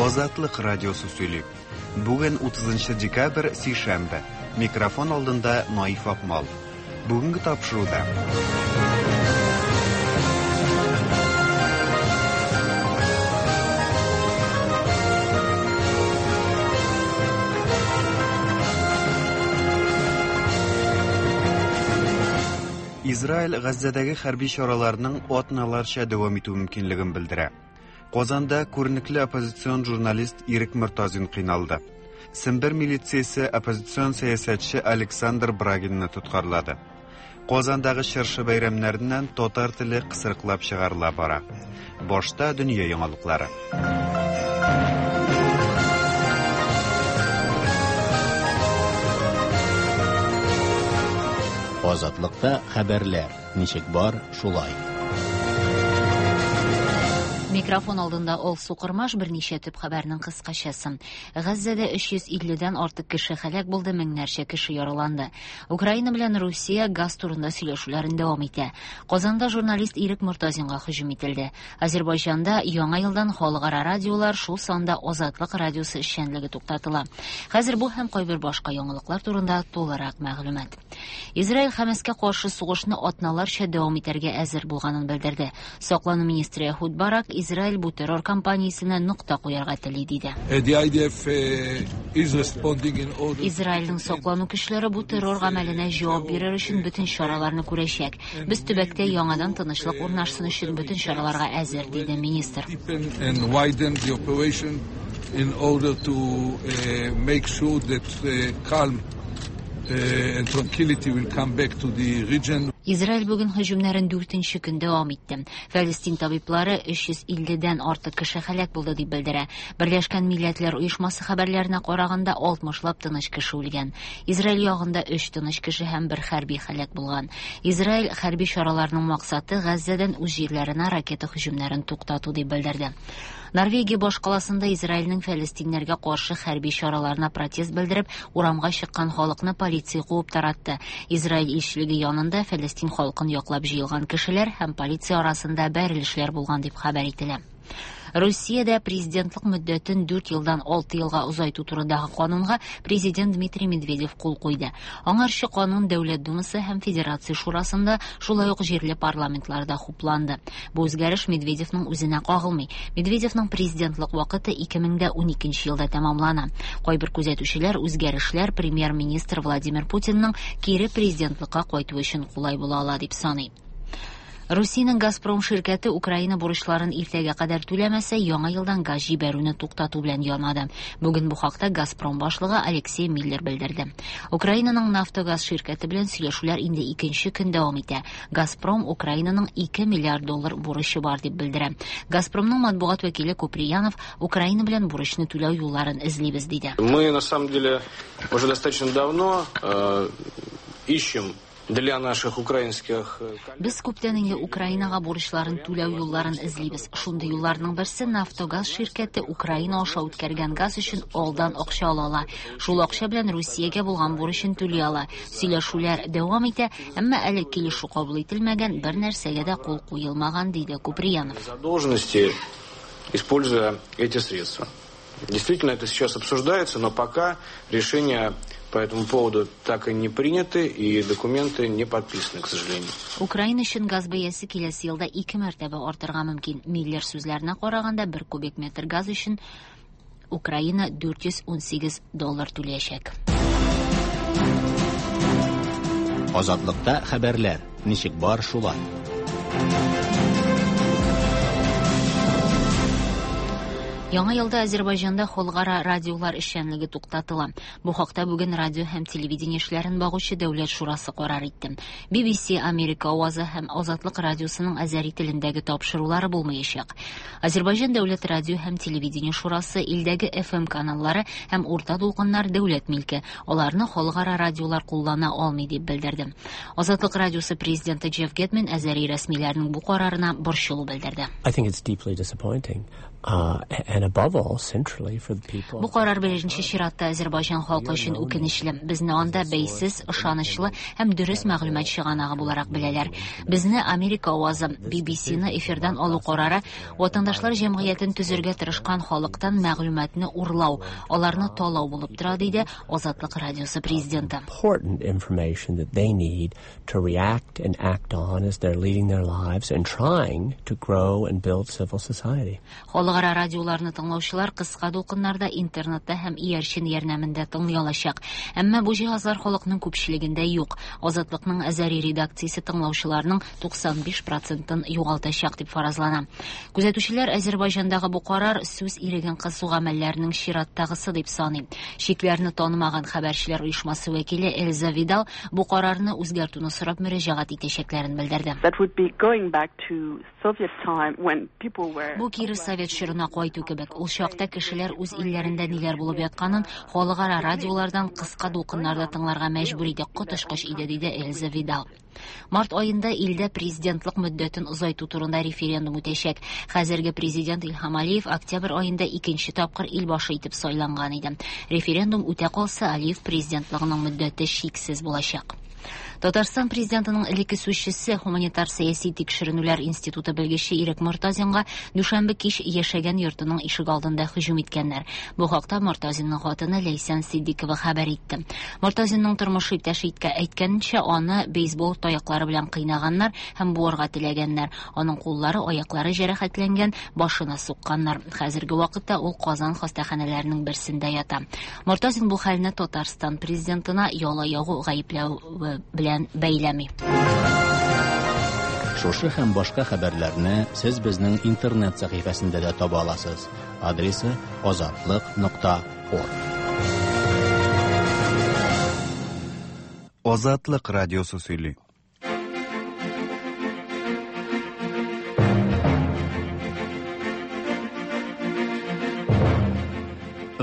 Азатлык радиосы сөйли. Бүген 30 декабрь, сишәмбе. Микрофон алдында Наиф Акмал. Бүгенге тапшыруда. Израиль Газзәдәге хәрби чараларның атналарча дәвам итү мөмкинлеген белдерә. Казанда күренекле оппозицион журналист Ирек Мортазин кыйналды. Сембер милициясе оппозицион сәясәтче Александр Брагинны тоткарлады. Казандагы чыршы бәйрәмнәреннән татар теле кысрыклап чыгарыла бара. Башта дөнья яңалыклары. Азатлыкта хәбәрләр ничек бар, шулай. Микрофон алдында Алсу Кормаш, берничә төп хәбәрнең кыскачасы. Газзәдә 350 дән артык кеше һәлак булды, меңнәрчә кеше яраланды. Украина белән Русия газ турында сөйләшүләрен дәвам итә. Казанда журналист Ирек Мортазинга һөҗүм ителде. Азербайҗанда яңа елдан халыкара радиолар, шул санда Азатлык радиосы эшчәнлеге туктатыла. Хәзер бу һәм кайбер башка яңалыклар турында тулырак мәгълүмат. Израиль Хәмәскә каршы сугышны атналарча дәвам итәргә әзер булганын белдерде. Саклану министры Эхуд Барак Израиль бу террор кампаниясенә нокта куярга тели, диде. The IDF is responding in order Израильнең саклану көчләре бу террор гамәленә җавап бирер өчен бөтен чараларны күрәчәк. Без төбәктә яңадан тынычлык урнашсын өчен бөтен чараларга әзер, диде министр. Deepen and widen the operation in order to make sure that calm and tranquility will come back to the region. Израиль бүген һөҗүмнәрен дүртенче көн дәвам итте. Фәлестин табиблары 350 дән артык кеше һәлак булды дип белдерә. Берләшкән Милләтләр Оешмасы хәбәрләренә караганда, 60лап тыныч кеше үлгән. Израиль ягында 3 тыныч кеше һәм бер хәрби һәлак булган. Израиль хәрби чараларының максаты Газзәдән үз җирләренә ракета һөҗүмнәрен туктату дип белдерде. Норвегия башкаласында Израильнең фәлестиннәргә каршы хәрби чараларына протест белдереп, урамга чыккан халыкны полиция куып таратты. Израиль илчелеге янында фәлестин халкын яклап җыелган кешеләр һәм полиция арасында бәрелешләр булган дип хәбәр ителә. Русиядә президентлык мөддәтен 4 елдан 6 елга озайту турындагы канунга президент Дмитрий Медведев кул куйды. Аңарчы канун Дәүләт Думасы һәм Федерация Шурасында, шулай ук җирле парламентларда хупланды. Бу үзгәреш Медведевның үзенә кагылмый. Медведевның президентлык вакыты 2012 елда тәмамлана. Кайбер күзәтүчеләр үзгәрешләр премьер-министр Владимир Путинның кире президентлыкка кайту өчен кулай була ала дип саный. Русиянең Газпром ширкәте Украина бурычларын иртәгә кадәр түләмәсә, яңа елдан газ җибәрүне туктату белән янады. Бүген бу хакта Газпром башлыгы Алексей Миллер белдерде. Украинаның Нафтогаз ширкәте белән сөйләшүләр инде икенче көн дәвам итә. Газпром Украинаның 2 миллиард доллар бурычы бар дип белдерә. Газпромның матбугат вәкиле Куприянов Украина белән бурычны түләү юлларын эзлибез диде. Мы на самом деле уже достаточно давно ищем для наших украинских коллег. Без күптән инде Украинага бурычларын түләү юлларын эзлибез. Шундый юлларның берсе Нафтогаз ширкәте Украина аша үткәргән газ өчен алдан акча ала ала. Шул акча белән Русиягә булган бурычын түли ала. Сөйләшүләр дәвам итә, әмма әле килешү кабул ителмәгән, бер нәрсәгә дә кул куелмаган, диде Куприянов. Задолженности, используя эти средства. Действительно, это сейчас обсуждается, но пока решение по этому поводу так и не приняты, и документы не подписаны, к сожалению. Украина өчен газ бәясе киләсе елда 2 мәртәбә артырга мөмкин. Миллер сүзләренә караганда, 1 кубик метр газ өчен Украина дүрт йөз унсигез доллар түләячәк. Азатлыкта хәбәрләр ничек бар шулай. Яңа елда Азербайҗанда халыкара радиолар эшчәнлеге туктатыла. Бу хакта бүген радио һәм телевидение эшләрен багучы Дәүләт шурасы карар итте. BBC, Америка авазы һәм Азатлык радиосының азәри телендәге тапшырулары булмаячак. Азербайҗан Дәүләт радио һәм телевидение шурасы илдәге FM каналлары һәм урта дулкыннар дәүләт милке, аларны халыкара радиолар куллана алмый дип белдерде. Азатлык радиосы президенты Джефф Гетман азәри рәсмиләрнең бу карарына борчылу белдерде. I think it's deeply disappointing. And above all, centrally for the people. Бу карар беренче чиратта Азәрбайҗан халкы өчен үкенечле. Безне анда бәйсез, ышанычлы һәм дөрес мәгълүмат чыганагы буларак беләләр. Безне Америка авазы, BBC-ны эфирдан алу карары ватандашлар җәмгыятен төзергә тырышкан халыктан мәгълүматны урлау, аларны талау булып тора, диде Азатлык радиосы президенты. Important information that they need to react and act on as they're leading their lives and trying to grow and build civil society. Халыкара радиоларны тыңлаучылар кыска дулкыннарда, интернетта һәм иярчен ярдәмендә тыңлый алачак. Әмма бу җиһазлар халыкның күпчелегендә юк. Азатлыкның Азәри редакциясе тыңлаучыларның 95 процентын югалтачак дип фаразлана. Күзәтүчеләр Азәрбайҗандагы бу карар сүз иреген кысу гамәлләренең чираттагысы дип саный. Чикләрне танымаган хәбәрчеләр оешмасы вәкиле Эльза Видал бу карарны үзгәртүне сорап мөрәҗәгать итәчәкләрен белдерде. That would be going back to Soviet time when people were Бу кире совет чорына кайту кебек. Ул чакта кешеләр үз илләрендә ниләр булып ятканын халыкара радиолардан кыска дулкыннарда тыңларга мәҗбүр иде, коточкыч иде, диде Эльза Видал. Март аенда илдә президентлык мөддәтен озайту турында референдум үтәчәк. Хәзерге президент Илһам Алиев октябрь аенда икенче тапкыр ил башы итеп сайланган иде. Референдум үтә калса, Алиев президентлыгының мөддәте чиксез булачак. Татарстан президентының элекке сүзчесе, гуманитар сәяси тикшеренүләр институты белгече Ирек Мортазинга дүшәмбе кич яшәгән йортының ишек алдында һөҗүм иткәннәр. Бу хакта Мортазинның хатыны Ләйсән Сиддикова хәбәр итте. Мортазинның тормыш иптәше әйткәнчә, аны бейсбол таяклары белән кыйнаганнар һәм буарга теләгәннәр. Аның куллары, аяклары җәрәхәтләнгән, башына сукканнар. Хәзерге вакытта ул Казан хастаханәләренең берсендә ята. Мортазин бу хәлне Татарстан президентына яла ягу гаепләве белән бәйләми. Шушы һәм башка хәбәрләрне сез безнең интернет сәхифәсендә дә таба аласыз. Адресы azatliq.org. Азатлык радиосы сөйли.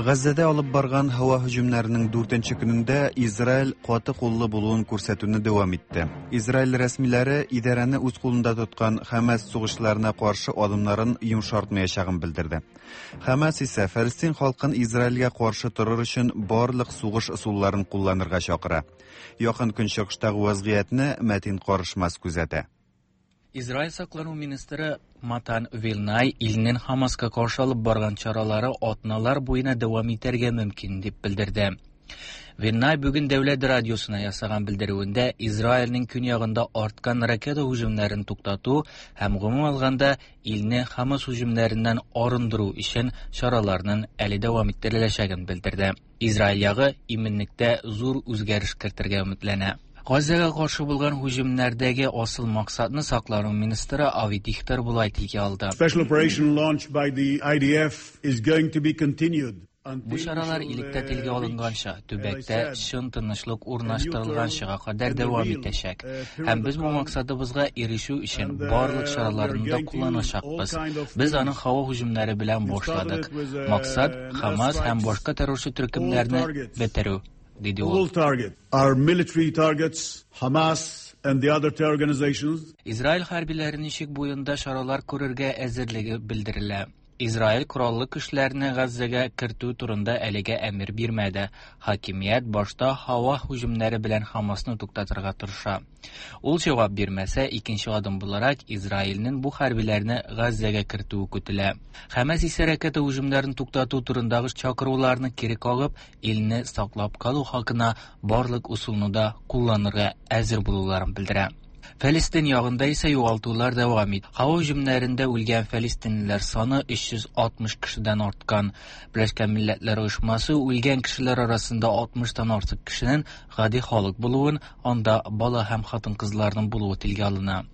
Газзәдә алып барган һава һөҗүмнәренең 4нче көнендә Израиль каты куллы булуын күрсәтүне дәвам итте. Израиль рәсмиләре идарәне үз кулында тоткан Хамас сугышчыларына каршы адымнарын йомшартмаячагын белдерде. Хамас исә Фәлестин халкын Израильгә каршы торыр өчен барлык сугыш ысулларын кулланырга чакыра. Якын Көнчыгыштагы вазгыятьне Мәтин Карышмас күзәтә. Израиль саклану министры Матан Вилнай илнең Хамаска каршы алып барган чаралары атналар буена дәвам итәргә мөмкин дип белдерде. Вилнай бүген дәүләт радиосына ясаган белдерүендә Израильнең көньягында арткан ракета һөҗүмнәрен туктату һәм гомум алганда илне Хамас һөҗүмнәреннән арындыру өчен чараларның әле дәвам иттереләчәген белдерде. Израиль ягы иминлектә зур үзгәреш кертергә өметләнә. Газзәгә каршы булган һөҗүмнәрдәге асыл максатны саклану министры Ави Дихтер болай телгә алды. Special operation launched by the IDF is going to be continued. Бу чаралар илектә телгә алынганча, төбәктә чын тынычлык урнаштырылганчыга кадәр дәвам итәчәк. Һәм без бу максатыбызга ирешү өчен барлык чараларны да кулланачакбыз. Без аны һава һөҗүмнәре белән башладык. Максат Хамас һәм башка террорчы төркемнәрне бетерү, диде ул. All target are military targets, Hamas and the other terror organizations. Израиль хәрбиләренең чик буенда чаралар күрергә әзерлеге белдерелә. Израиль кораллы көчләрне Газзәгә кертү турында әлегә әмер бирмәде. Хакимият башта һава һөҗүмнәре белән Хамасны туктатырга тырыша. Ул җавап бирмәсә, икенче адым буларак Израильнең бу хәрбиләрне Газзәгә кертүе көтелә. Хамас исә ракета һөҗүмнәрен туктату турындагы чакыруларны кире кагып, илне саклап калу хакына барлык ысулны да кулланырга әзер булуларын белдерә. Фәлестин ягында исә югалтулар дәвам итә. Һава һөҗүмнәрендә үлгән фәлестинлеләр саны 360 кешедән арткан. Берләшкән Милләтләр Оешмасы үлгән кешеләр арасында 60-тан артык кешенең гади халык булуын, анда бала һәм хатын-кызларның булуы телгә алына.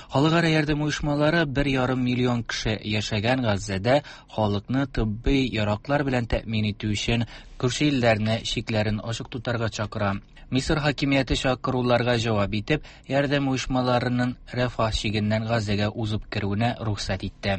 Халыкара ярдәм оешмалары 1,5 миллион кеше яшәгән Газзәдә халыкны тибби яраклар белән тәэмин итү өчен күрше илләрне чикләрен ачык тотарга чакыра. Мисыр хакимияте чакыруларга җавап итеп, ярдәм оешмаларының Рафах чигеннән Газзәгә узып керүенә рөхсәт итте.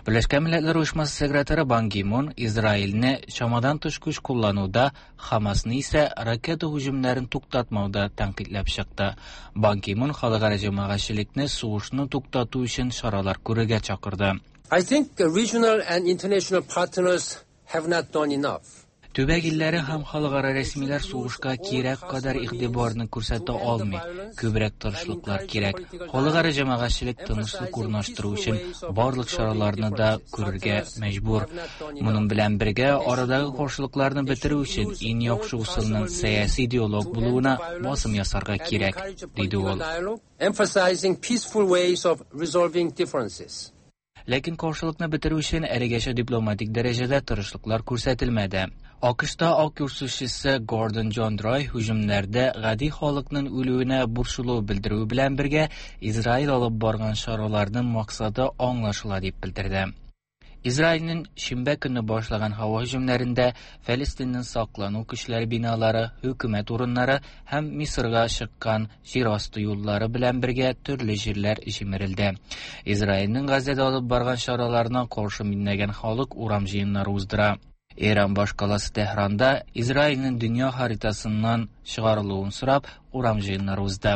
Берләшкән Милләтләр Оешмасы секретаре Бан Ги Мун Израильне чамадан тыш көч куллануда, Хамасны исә ракета һөҗүмнәрен туктатмауда тәнкыйтьләп чыкты. Бан Ги Мун халыкара җәмәгатьчелекне сугышны туктату өчен чаралар күрергә чакырды. I think regional and international partners have not done enough. Төбәк илләре һәм халыкара рәсмиләр сугышка кирәк кадәр игътибарны күрсәтә алмый. Күбрәк тырышлыклар кирәк. Халыкара җәмәгатьчелек тынычлык урнаштыру өчен барлык чараларны да күрергә мәҗбүр. Моның белән бергә арадагы каршылыкларны бетерү өчен иң яхшы ысулның сәяси диалог булуына басым ясарга кирәк, диде ул. Emphasizing peaceful ways of resolving differences. Ләкин каршылыкны бетерү өчен әлегәчә дипломатик дәрәҗәдә тырышлыклар күрсәтелмәде. АКШта Ак Йорт сүзчесе Гордон Джондрой һөҗүмнәрдә гади халыкның үлүенә борчылу белдерүе белән бергә Израиль алып барган чараларның максаты аңлашыла дип белдерде. Израильнең шимбә көнне башлаган һава һөҗүмнәрендә Фәлестиннең саклану көчләре биналары, хөкүмәт урыннары һәм Мисырга чыккан җир асты юллары белән бергә төрле җирләр җимерелде. Израильнең Газәдә алып барган чараларына каршы меңләгән халык урам җыеннары уздыра. Иран башкаласы Тәһранда Израильнең дөнья харитасыннан чыгарылуын сорап урам җыеннары узды.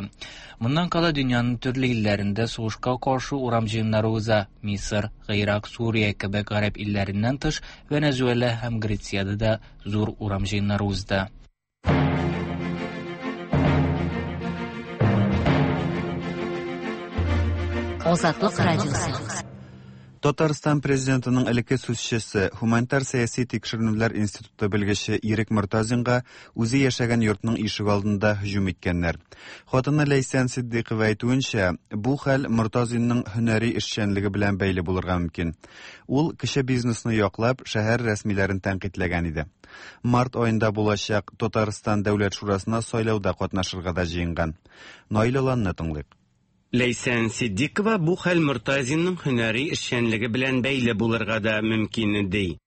Моннан кала дөньяның төрле илләрендә сугышка каршы урам җыеннары уза. Мисыр, Гыйрак, Сүрия кебек гарәп илләреннән тыш Венесуэла һәм Грециядә дә зур урам җыеннары узды. Азатлык радиосы. Татарстан президентының элекке сүзчесе, Һуманитар сәяси тикшеренүләр институты белгече Ирек Мортазинга үзе яшәгән йортның ишек алдында һөҗүм иткәннәр. Хатыны Ләйсән Ситдыйкова әйтүенчә, бу хәл Мортазинның һөнәри эшчәнлеге белән бәйле булырга мөмкин. Ул кече бизнесны яклап, шәһәр рәсмиләрен тәнкыйтьләгән иде. Март аенда булачак Татарстан Дәүләт шурасына сайлауда катнашырга да җыенган. Наил Аланны тыңлыйк. Ләйсән Ситдикова бу хәл Мортазинның һөнәри эшчәнлеге белән бәйле булырга да мөмкин ди.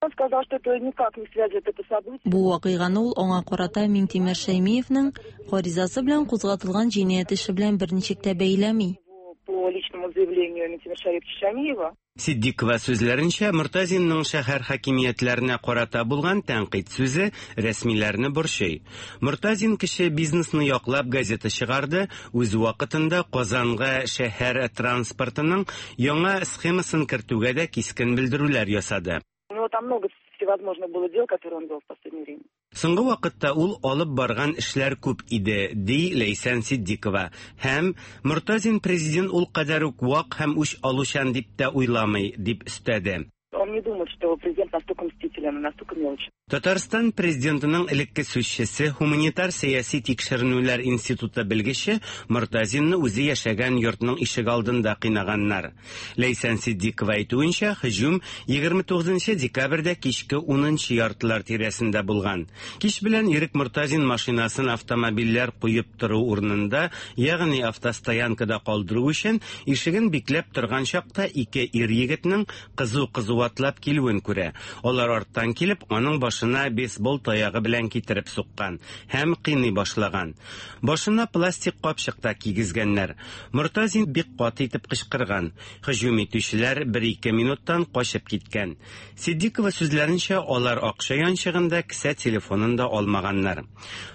Он сказал, что это никак не связывает это событие. Бу вакыйганы ул аңа карата Миңтимер Шәймиевнең гаризасы белән кузгатылган җинаять эше белән берничек тә бәйләми. По личному заявлению Минтимера Шариповича Шаймиева. Ситдикова сүзләренчә, Мортазинның шәһәр хакимиятләренә карата булган тәнкыйть сүзе рәсмиләрне борчый. Мортазин кече бизнесны яклап газета чыгарды, үз вакытында Казанга шәһәр транспортының яңа схемасын кертүгә дә кискен белдерүләр ясады. У него там много всевозможных было дел, которые он вел в последнее время. Соңгы вакытта ул алып барган эшләр күп иде, ди Ләйсән Ситдикова. Һәм Мортазин президент ул кадәр үк вак һәм үч алучан дип тә уйламый, дип өстәде. Он не думает, что президент настолько мстителен, настолько мелочен. Татарстан президентының элекке сүзчесе, Һуманитар сәяси тикшеренүләр институты белгече Мортазинны үзе яшәгән йортның ишек алдында кыйнаганнар. Ләйсән Ситдикова әйтүенчә, һөҗүм 29 декабрьдә кичке 10 яртылар тирәсендә булган. Кич белән Ирек Мортазин машинасын автомобильләр куеп тору урынында, ягъни автостоянкада калдыру өчен ишеген бикләп торган чакта ике ир егетнең кызу-кызу атлап килүен күрә. Алар арттан килеп, аның башына бейсбол таягы белән китереп суккан һәм кыйный башлаган. Башына пластик капчык та кигезгәннәр. Мортазин бик каты итеп кычкырган. Һөҗүм итүчеләр бер-ике минуттан качып киткән. Ситдикова сүзләренчә, алар акча янчыгында кесә телефонын да алмаганнар.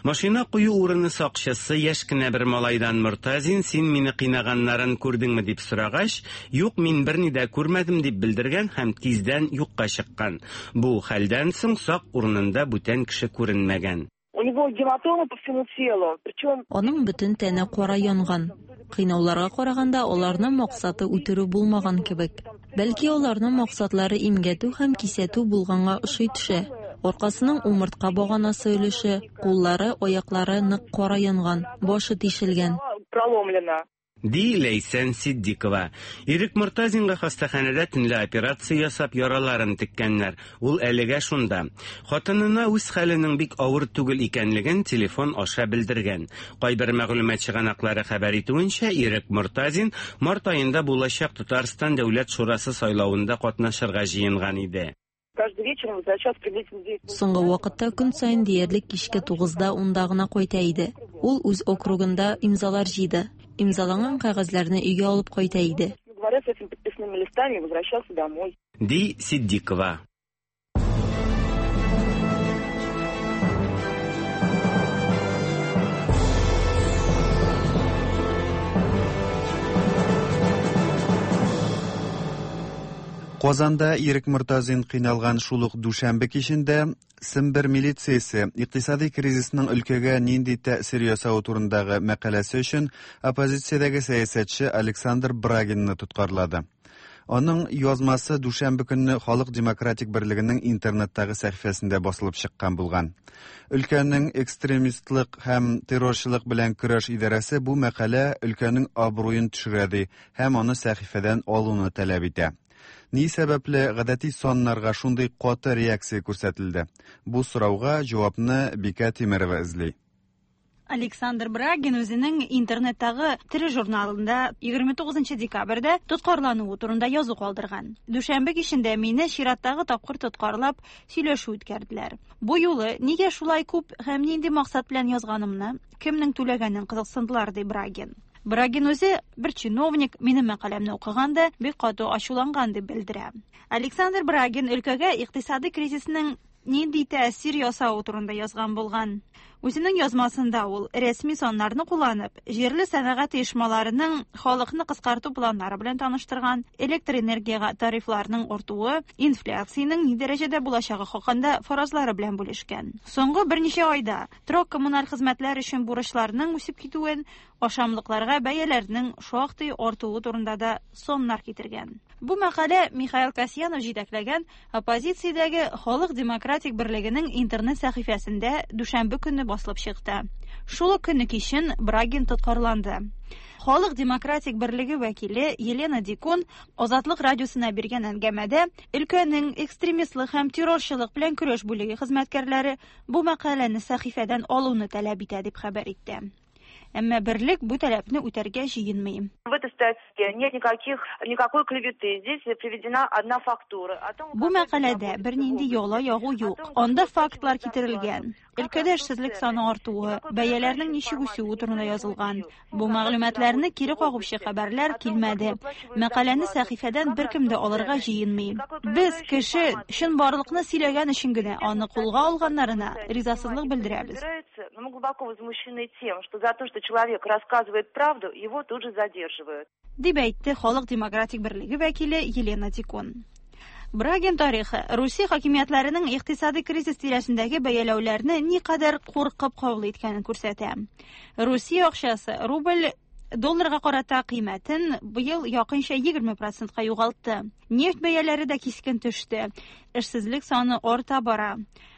Машина кую урыны сакчысы яшь кенә бер малайдан Мортазин, син мине кыйнаганнарын күрдеңме дип сорагач, юк, мин берни дә күрмәдем дип белдергән һәм тиздән юкка чыккан. Бу хәлдән соң сак урынында бүтән кеше күренмәгән. У него гематомы по всему телу, причем Аның бөтен тәне кара янган. Кыйнауларга караганда аларның максаты үтерү булмаган кебек. Бәлки аларның максатлары имгәтү һәм кисәтү булганга ошый төшә. Аркасының умыртка баганасы өлеше, куллары, аяклары нык кара янган, башы тишелгән. Проломлена. Ди Ләйсән Ситдикова. Ирек Мортазинга хастаханәдә төнлә операция ясап яраларын теккәннәр. Ул әлегә шунда. Хатынына үз хәленең бик авыр түгел икәнлеген телефон аша белдергән. Кайбер мәгълүмат чыганаклары хәбәр итүенчә, Ирек Мортазин март аенда булачак Татарстан Дәүләт шурасы сайлавында катнашырга җыенган иде. Каждый вечер он возвращался приблизительно в 9. Соңгы вакытта көн саен диярлек кичке 9-да 10-да гына кайта иде. Ул үз округында имзалар җыйды. Имзаланган кәгазьләрне өйгә алып кайта иде. Говоря, с этими подписными листами возвращался домой. Ди Ситдикова. Казанда Ирек Мортазин кыйналган шул ук дүшәмбе кичендә Сембер милициясе икътисади кризисның өлкәгә нинди тәэсир ясавы турындагы мәкаләсе өчен оппозициядәге сәясәтче Александр Брагинны тоткарлады. Аның язмасы дүшәмбе көнне Халык демократик берлегенең интернеттагы сәхифәсендә басылып чыккан булган. Өлкәнең экстремистлык һәм террорчылык белән көрәш идарәсе бу мәкалә өлкәнең абруен төшерә ди һәм аны сәхифәдән алуны таләп итә. Ни сәбәпле гадәти саннарга шундый каты реакция күрсәтелде? Бу сорауга җавапны Бикә Тимерова эзли. Александр Брагин үзенең интернеттагы тере журналында 29 декабрьдә тоткарлануы турында язу калдырган. Дүшәмбе кичендә мине чираттагы тапкыр тоткарлап, сөйләшү үткәрделәр. Бу юлы нигә шулай күп һәм нинди максат белән язганымны, кемнең түләгәнен кызыксындылар, ди Брагин. Брагин үзе бер чиновник минем мәкаләмне укыган да бик каты ачуланган дип белдерә. Александр Брагин өлкәгә икътисади кризисның нинди тәэсир ясавы турында язган булган. Үзенең язмасында ул рәсми саннарны кулланып, җирле сәнәгать оешмаларының халыкны кыскарту планнары белән таныштырган, электр энергиягә тарифларның артуы, инфляциянең ни дәрәҗәдә булачагы хакында фаразлары белән бүлешкән. Соңгы берничә айда торак-коммуналь хезмәтләр өчен бурычларның үсеп китүен, ашамлыкларга бәяләрнең шактый артуы турында да саннар китергән. Бу мәкалә Михаил Касьянов җитәкләгән оппозициядәге Халык демократик берлегенең интернет сәхифәсендә дүшәмбе көнне басылып чыкты. Шул ук көнне кичен Брагин тоткарланды. Халык демократик берлеге вәкиле Елена Дикун Азатлык радиосына биргән әңгәмәдә өлкәнең экстремистлык һәм террорчылык белән көрәш бүлеге хезмәткәрләре бу мәкаләне сәхифәдән алуны таләп итә дип хәбәр итте. Әмма берлек бу таләпне үтәргә җыенмый. В этой статье нет никаких, никакой клеветы. Здесь приведена одна фактура. О том, Бу мәкаләдә бернинди яла ягу юк. Анда фактлар китерелгән. Өлкәдә эшсезлек саны артуы, бәяләрнең ничек үсүе турында язылган. Бу мәгълүматларны кире кагучы хәбәрләр килмәде. Мәкаләне сәхифәдән беркем дә алырга җыенмый. Без кеше чынбарлыкны сөйләгән өчен генә аны кулга алганнарына ризасызлык белдерәбез. Но мы глубоко возмущены тем, что за то, что человек рассказывает правду, его тут же задерживают. Дип әйтте Халык демократик берлеге вәкиле Елена Дикун. Брагин тарихы Русия хакимиятләренең икътисади кризис тирәсендәге бәяләүләрне никадәр куркып кабул иткәнен күрсәтә. Русия акчасы рубль долларга карата кыйммәтен быел якынча 20 процентка югалтты. Нефть бәяләре дә кискен төште. Эшсезлек саны арта бара.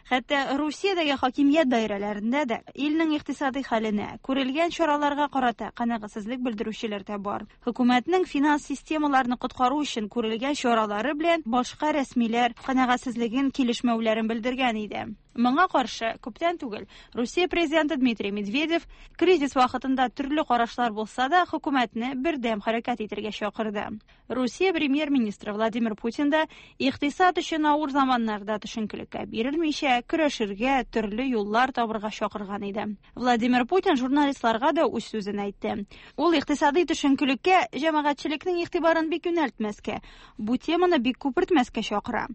Хәтта Русиядәге хакимият даирәләрендә дә илнең икътисади хәленә, күрелгән чараларга карата канәгатьсезлек белдерүчеләр дә бар. Хөкүмәтнең финанс системаларны коткару өчен күрелгән чаралары белән башка рәсмиләр канәгатьсезлеген килешмәүләрен белдергән иде. Моңа каршы күптән түгел Русия президенты Дмитрий Медведев кризис вакытында төрле карашлар булса да хөкүмәтне бердәм хәрәкәт итәргә чакырды. Русия премьер-министры Владимир Путин да икътисад өчен авыр заманнарда төшенкелеккә бирелмичә көрәшергә, төрле юллар табырга чакырган иде. Владимир Путин журналистларга да үз сүзен әйтте. Ул икътисади төшенкелеккә җәмәгатьчелекнең игътибарын бик юнәлтмәскә, бу теманы бик күпертмәскә чакыра.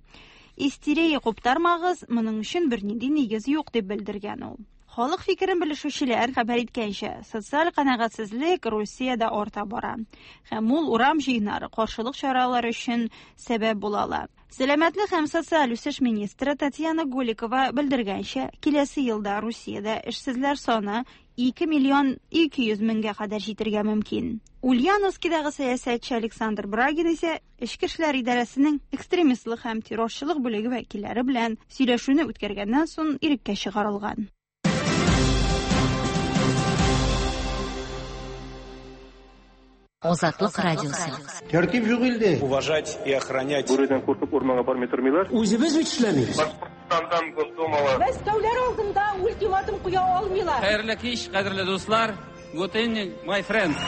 Истерия куптармагыз, моның өчен бернинди нигез юк дип белдергән ул. Халык фикерен белешүчеләр хәбәр иткәнчә, социаль канәгатьсезлек Русиядә арта бара. Һәм ул урам җыеннары, каршылык чаралары өчен сәбәп була ала. Сәламәтлек һәм социаль үсеш министры Татьяна Голикова белдергәнчә, киләсе елда Русиядә эшсезләр саны 2 миллион 200 меңгә кадәр җитергә мөмкин. Ульяновскидагы сәясәтче Александр Брагин исә Эчке эшләр идарәсенең экстремистлык һәм террорчылык бүлеге вәкилләре белән сөйләшүне үткәргәннән соң иреккә чыгарылган. Азатлык радиосы. Тәртип юк илдә. Уважать и охранять. Бүредән куркып урманга бармый тормыйлар. Үзебез бит эшләмибез. Башкортстандан Госдумалы. Мәскәүләр алдында ультиматум куя алмыйлар. Хәерле кич, кадерле дуслар. Good evening, my friends.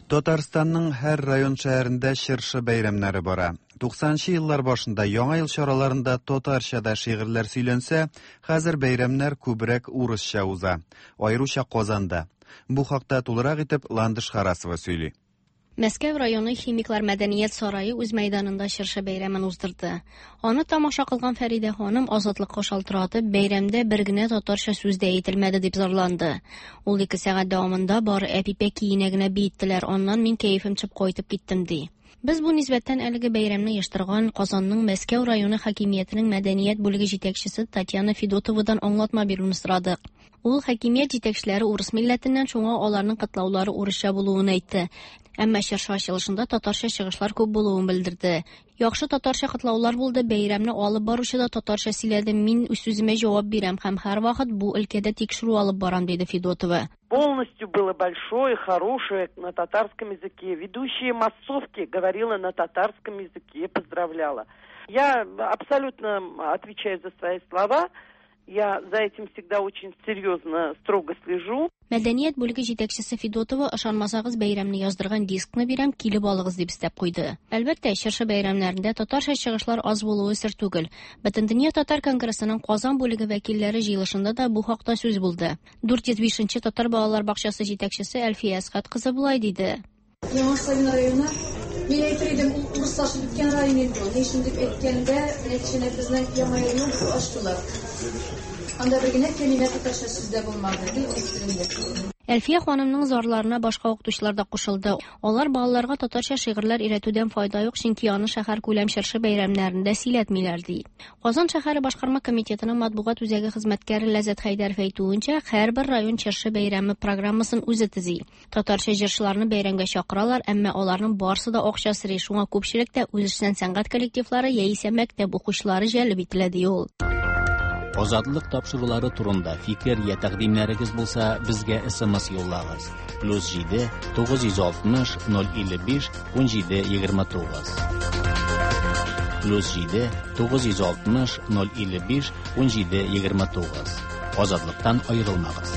Татарстанның һәр район шәһәрендә чыршы бәйрәмнәре бара. 90 еллар башында Яңа ел чараларында татарча да шигырьләр сөйләнсә, хәзер бәйрәмнәр күбрәк урысча уза. Аеруча Казанда. Бу хакта тулырак итеп Ландыш Харасова сөйли. Мәскәү районы Химиклар мәдәният сарае үз мәйданында чыршы бәйрәмен уздырды. Аны тамаша кылган Фәридә ханым Азатлыкка шалтыратып, бәйрәмдә бер генә татарча сүз дә әйтелмәде дип зарланды. Ул ике сәгать дәвамында бары Әпипә көенә генә биеттеләр, аннан мин кәефем төшеп кайтып киттем, ди. Без бу нисбәттән әлеге бәйрәмне оештырган Казанның Мәскәү районы хакимиятенең мәдәният бүлеге җитәкчесе Татьяна Федотовадан аңлатма бирүне сорадык. Ул хакимият җитәкчеләре урыс милләтеннән, шуңа аларның котлаулары урысча булуын әйтте. Әмма чыршы ачылышында татарча чыгышлар күп булуын белдерде. Яхшы татарча котлаулар булды, бәйрәмне алып баручы да татарча сөйләде, мин үз сүземә җавап бирәм һәм һәрвакыт бу өлкәдә тикшерү алып барам, диде Федотова. Полностью было большое, хорошее на татарском языке. Ведущая массовки говорила на татарском языке, поздравляла. Я абсолютно отвечаю за свои слова. Я за этим всегда очень серьезно, строго слежу. Мәдәният бүлеге җитәкчесе Федотова, ышанмасагыз, бәйрәмне яздырган дискны бирәм, килеп алыгыз, дип өстәп куйды. Әлбәттә, чыршы бәйрәмнәрендә татарча чыгышлар аз булуы сер түгел. Бөтендөнья татар конгрессының Казан бүлеге вәкилләре җыелышында да бу хакта сүз булды. 405 нче татар балалар бакчасы җитәкчесе Әлфия Әсхәт кызы болай диде. Яңа Савин районы, мин әйтер идем, ул урыслашып беткән район инде ул. Ни өчен дип әйткәндә, менә кичәнәк безнең Яңа елны ачтылар. Анда бер генә кәлимә татарча сүз дә булмады, гел урыс телендә. Әлфия ханымның зарларына башка укытучылар да кушылды. Алар балаларга татарча шигырьләр өйрәтүдән файда юк, чөнки аны шәһәркүләм чыршы бәйрәмнәрендә сөйләтмиләр, ди. Казан шәһәре башкарма комитетының матбугат үзәге хезмәткәре Ләззәт Хәйдәров әйтүенчә, һәрбер район чыршы бәйрәме программасын үзе төзи. Татарча җырчыларны бәйрәмгә чакыралар, әмма аларның барсы да акча сорый, шуңа күпчелектә үзешчән сәнгать коллективлары яисә мәктәп укучылары җәлеп ителә, ди ул. Азатлык тапшырулары турында фикер я тәкъдимнәрегез булса, безгә SMS юллагыз. Плюс 7 960 055 17 29. Плюс 7 960 055 17 29. Азатлыктан аерылмагыз.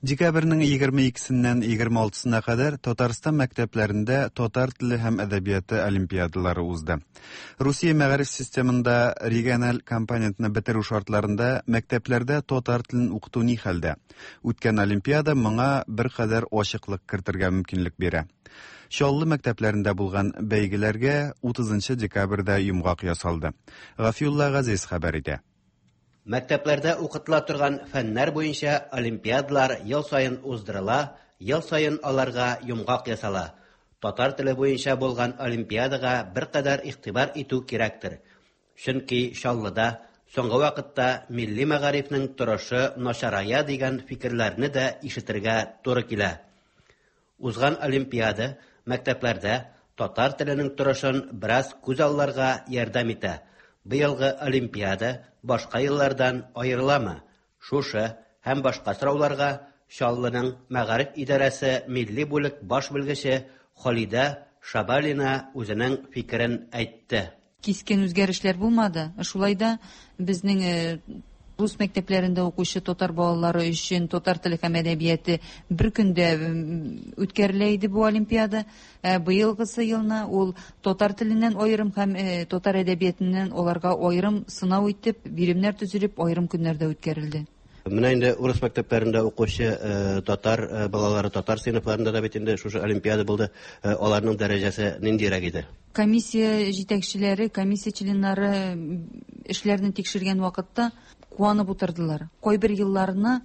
Декабрьнең 22-сеннән 26-сына кадәр Татарстан мәктәпләрендә татар теле һәм әдәбияты олимпиадалары узды. Русия мәгариф системында региональ компонентны бетерү шартларында мәктәпләрдә татар телен укыту ни хәлдә? Үткән олимпиада моңа беркадәр ачыклык кертергә мөмкинлек бирә. Чаллы мәктәпләрендә булган бәйгеләргә 30 декабрьдә йомгак ясалды. Гафиулла Газиз хәбәр итә. Мәктәпләрдә укытыла торган фәннәр буенча олимпиадалар ел саен уздырыла, ел саен аларга йомгак ясала. Татар теле буенча булган олимпиадага беркадәр игътибар итү кирәктер. Чөнки Чаллыда соңгы вакытта милли мәгарифнең торышы начарая дигән фикерләрне дә ишетергә туры килә. Узган олимпиада мәктәпләрдә татар теленең торышын бераз күзалларга ярдәм итә. Быелгы олимпиада башка еллардан аерыламы? Шушы һәм башка сорауларга Чаллының мәгариф идарәсе милли бүлек баш белгече Халидә Шабалина үзенең фикерен әйтте. Кискен үзгәрешләр булмады. Шулай да безнең рус мәктәпләрендә укучы татар балалары өчен татар теле һәм әдәбияты бер көндә үткәрелә иде бу олимпиада. Ә быелгысы елны ул татар теленнән аерым һәм татар әдәбиятыннан аларга аерым сынау итеп, биремнәр төзелеп, аерым көннәрдә үткәрелде. Менә инде урыс мәктәпләрендә укучы татар балалары татар сыйныфларында да бит инде шушы олимпиада булды. Аларның дәрәҗәсе ниндирәк иде? Комиссия җитәкчеләре, комиссия членнары эшләрне тикшергән вакытта куанып утырдылар. Кайбер елларны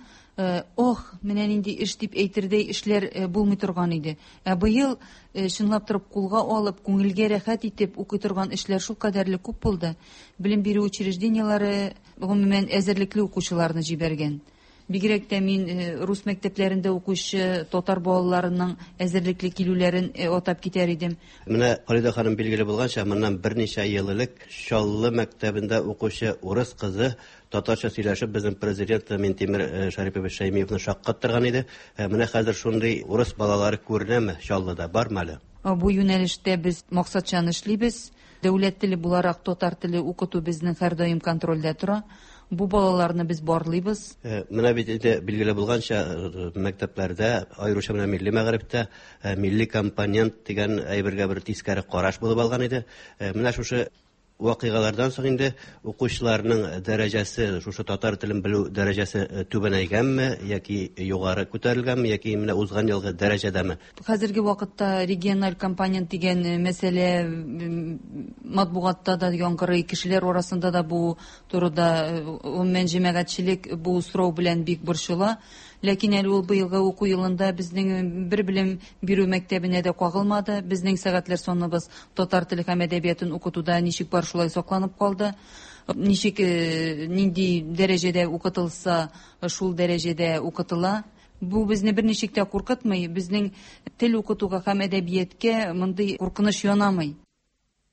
ох, менә нинди эш дип әйтердәй эшләр булмый торган иде. Ә быел чынлап торып кулга алып, күңелгә рәхәт итеп укый торган эшләр шулкадәрле күп булды. Белем бирү учреждениеләре гомумән әзерлекле укучыларны җибәргән. Бигрәк тә мин рус мәктәпләрендә укучы татар балаларының әзерлекле килүләрен атап китәр идем. Менә Халидә ханым, билгеле булганча, моннан берничә ел элек Чаллы мәктәбендә укучы урыс кызы татарча сөйләшеп безнең президент Минтимер Шәрипович Шәймиевны шаккаттырган иде. Менә хәзер шундый урыс балалары күренәме Чаллыда, бармы әле? Бу юнәлештә без максатчан эшлибез. Дәүләт теле буларак татар теле укыту безнең һәрдаим контрольдә тора. Бу балаларны без барлыйбыз. Менә бит инде билгеле булганча, мәктәпләрдә, аеруча менә милли мәгарифтә милли компонент дигән әйбергә бер тискәре караш булып алган иде. Менә шушы вакыйгалардан соң инде укучыларның дәрәҗәсе, шушы татар телен белү дәрәҗәсе э, түбәнәйгәнме яки югары күтәрелгәнме яки менә узган елгы дәрәҗәдәме? Хәзерге вакытта региональ компонент дигән э, мәсьәлә матбугатта да яңгырый, кешеләр арасында да бу турыда э, гомумән җәмәгатьчелек бу сорау белән бик борчыла. Ләкин әле ул быелгы уку елында безнең бер белем бирү мәктәбенә дә кагылмады. Безнең сәгатьләр саныбыз татар теле һәм әдәбиятын укытуда ничек бар шулай сакланып калды. Ничек э, нинди дәрәҗәдә укытылса, шул дәрәҗәдә укытыла. Бу безне берничек тә куркытмый. Безнең тел укытуга һәм әдәбияткә мондый куркыныч янамый.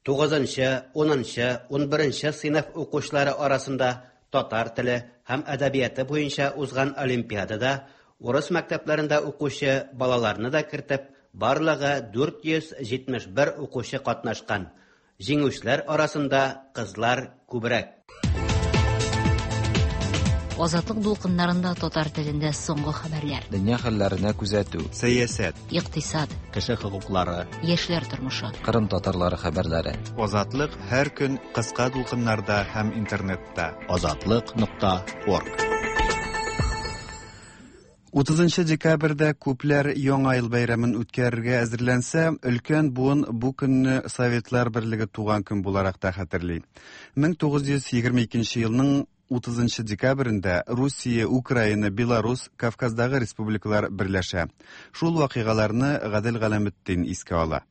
Тугызынчы, унынчы, унберенче сыйныф укучылары арасында татар теле һәм әдәбияты буенча узган олимпиадада урыс мәктәпләрендә укучы балаларны да кертеп, барлыгы 471 укучы катнашкан. Җиңүчеләр арасында кызлар күбрәк. Азатлык дулкыннарында татар телендә соңгы хәбәрләр. Дөнья хәлләренә күзәтү. Сәясәт. Икътисад. Кеше хокуклары. Яшьләр тормышы. Кырым татарлары хәбәрләре. Азатлык һәр көн кыска дулкыннарда һәм интернетта. Азатлык нокта орг. 30 декабрьдә күпләр Яңа ел бәйрәмен үткәрергә әзерләнсә, өлкән буын бу көнне Советлар Берлеге туган көн буларак та хәтерли. 1922 елның 30 декабрендә Русия, Украина, Беларус, Кавказдагы республикалар берләшә. Шул вакыйгаларны Гадел Галәметдин искә ала.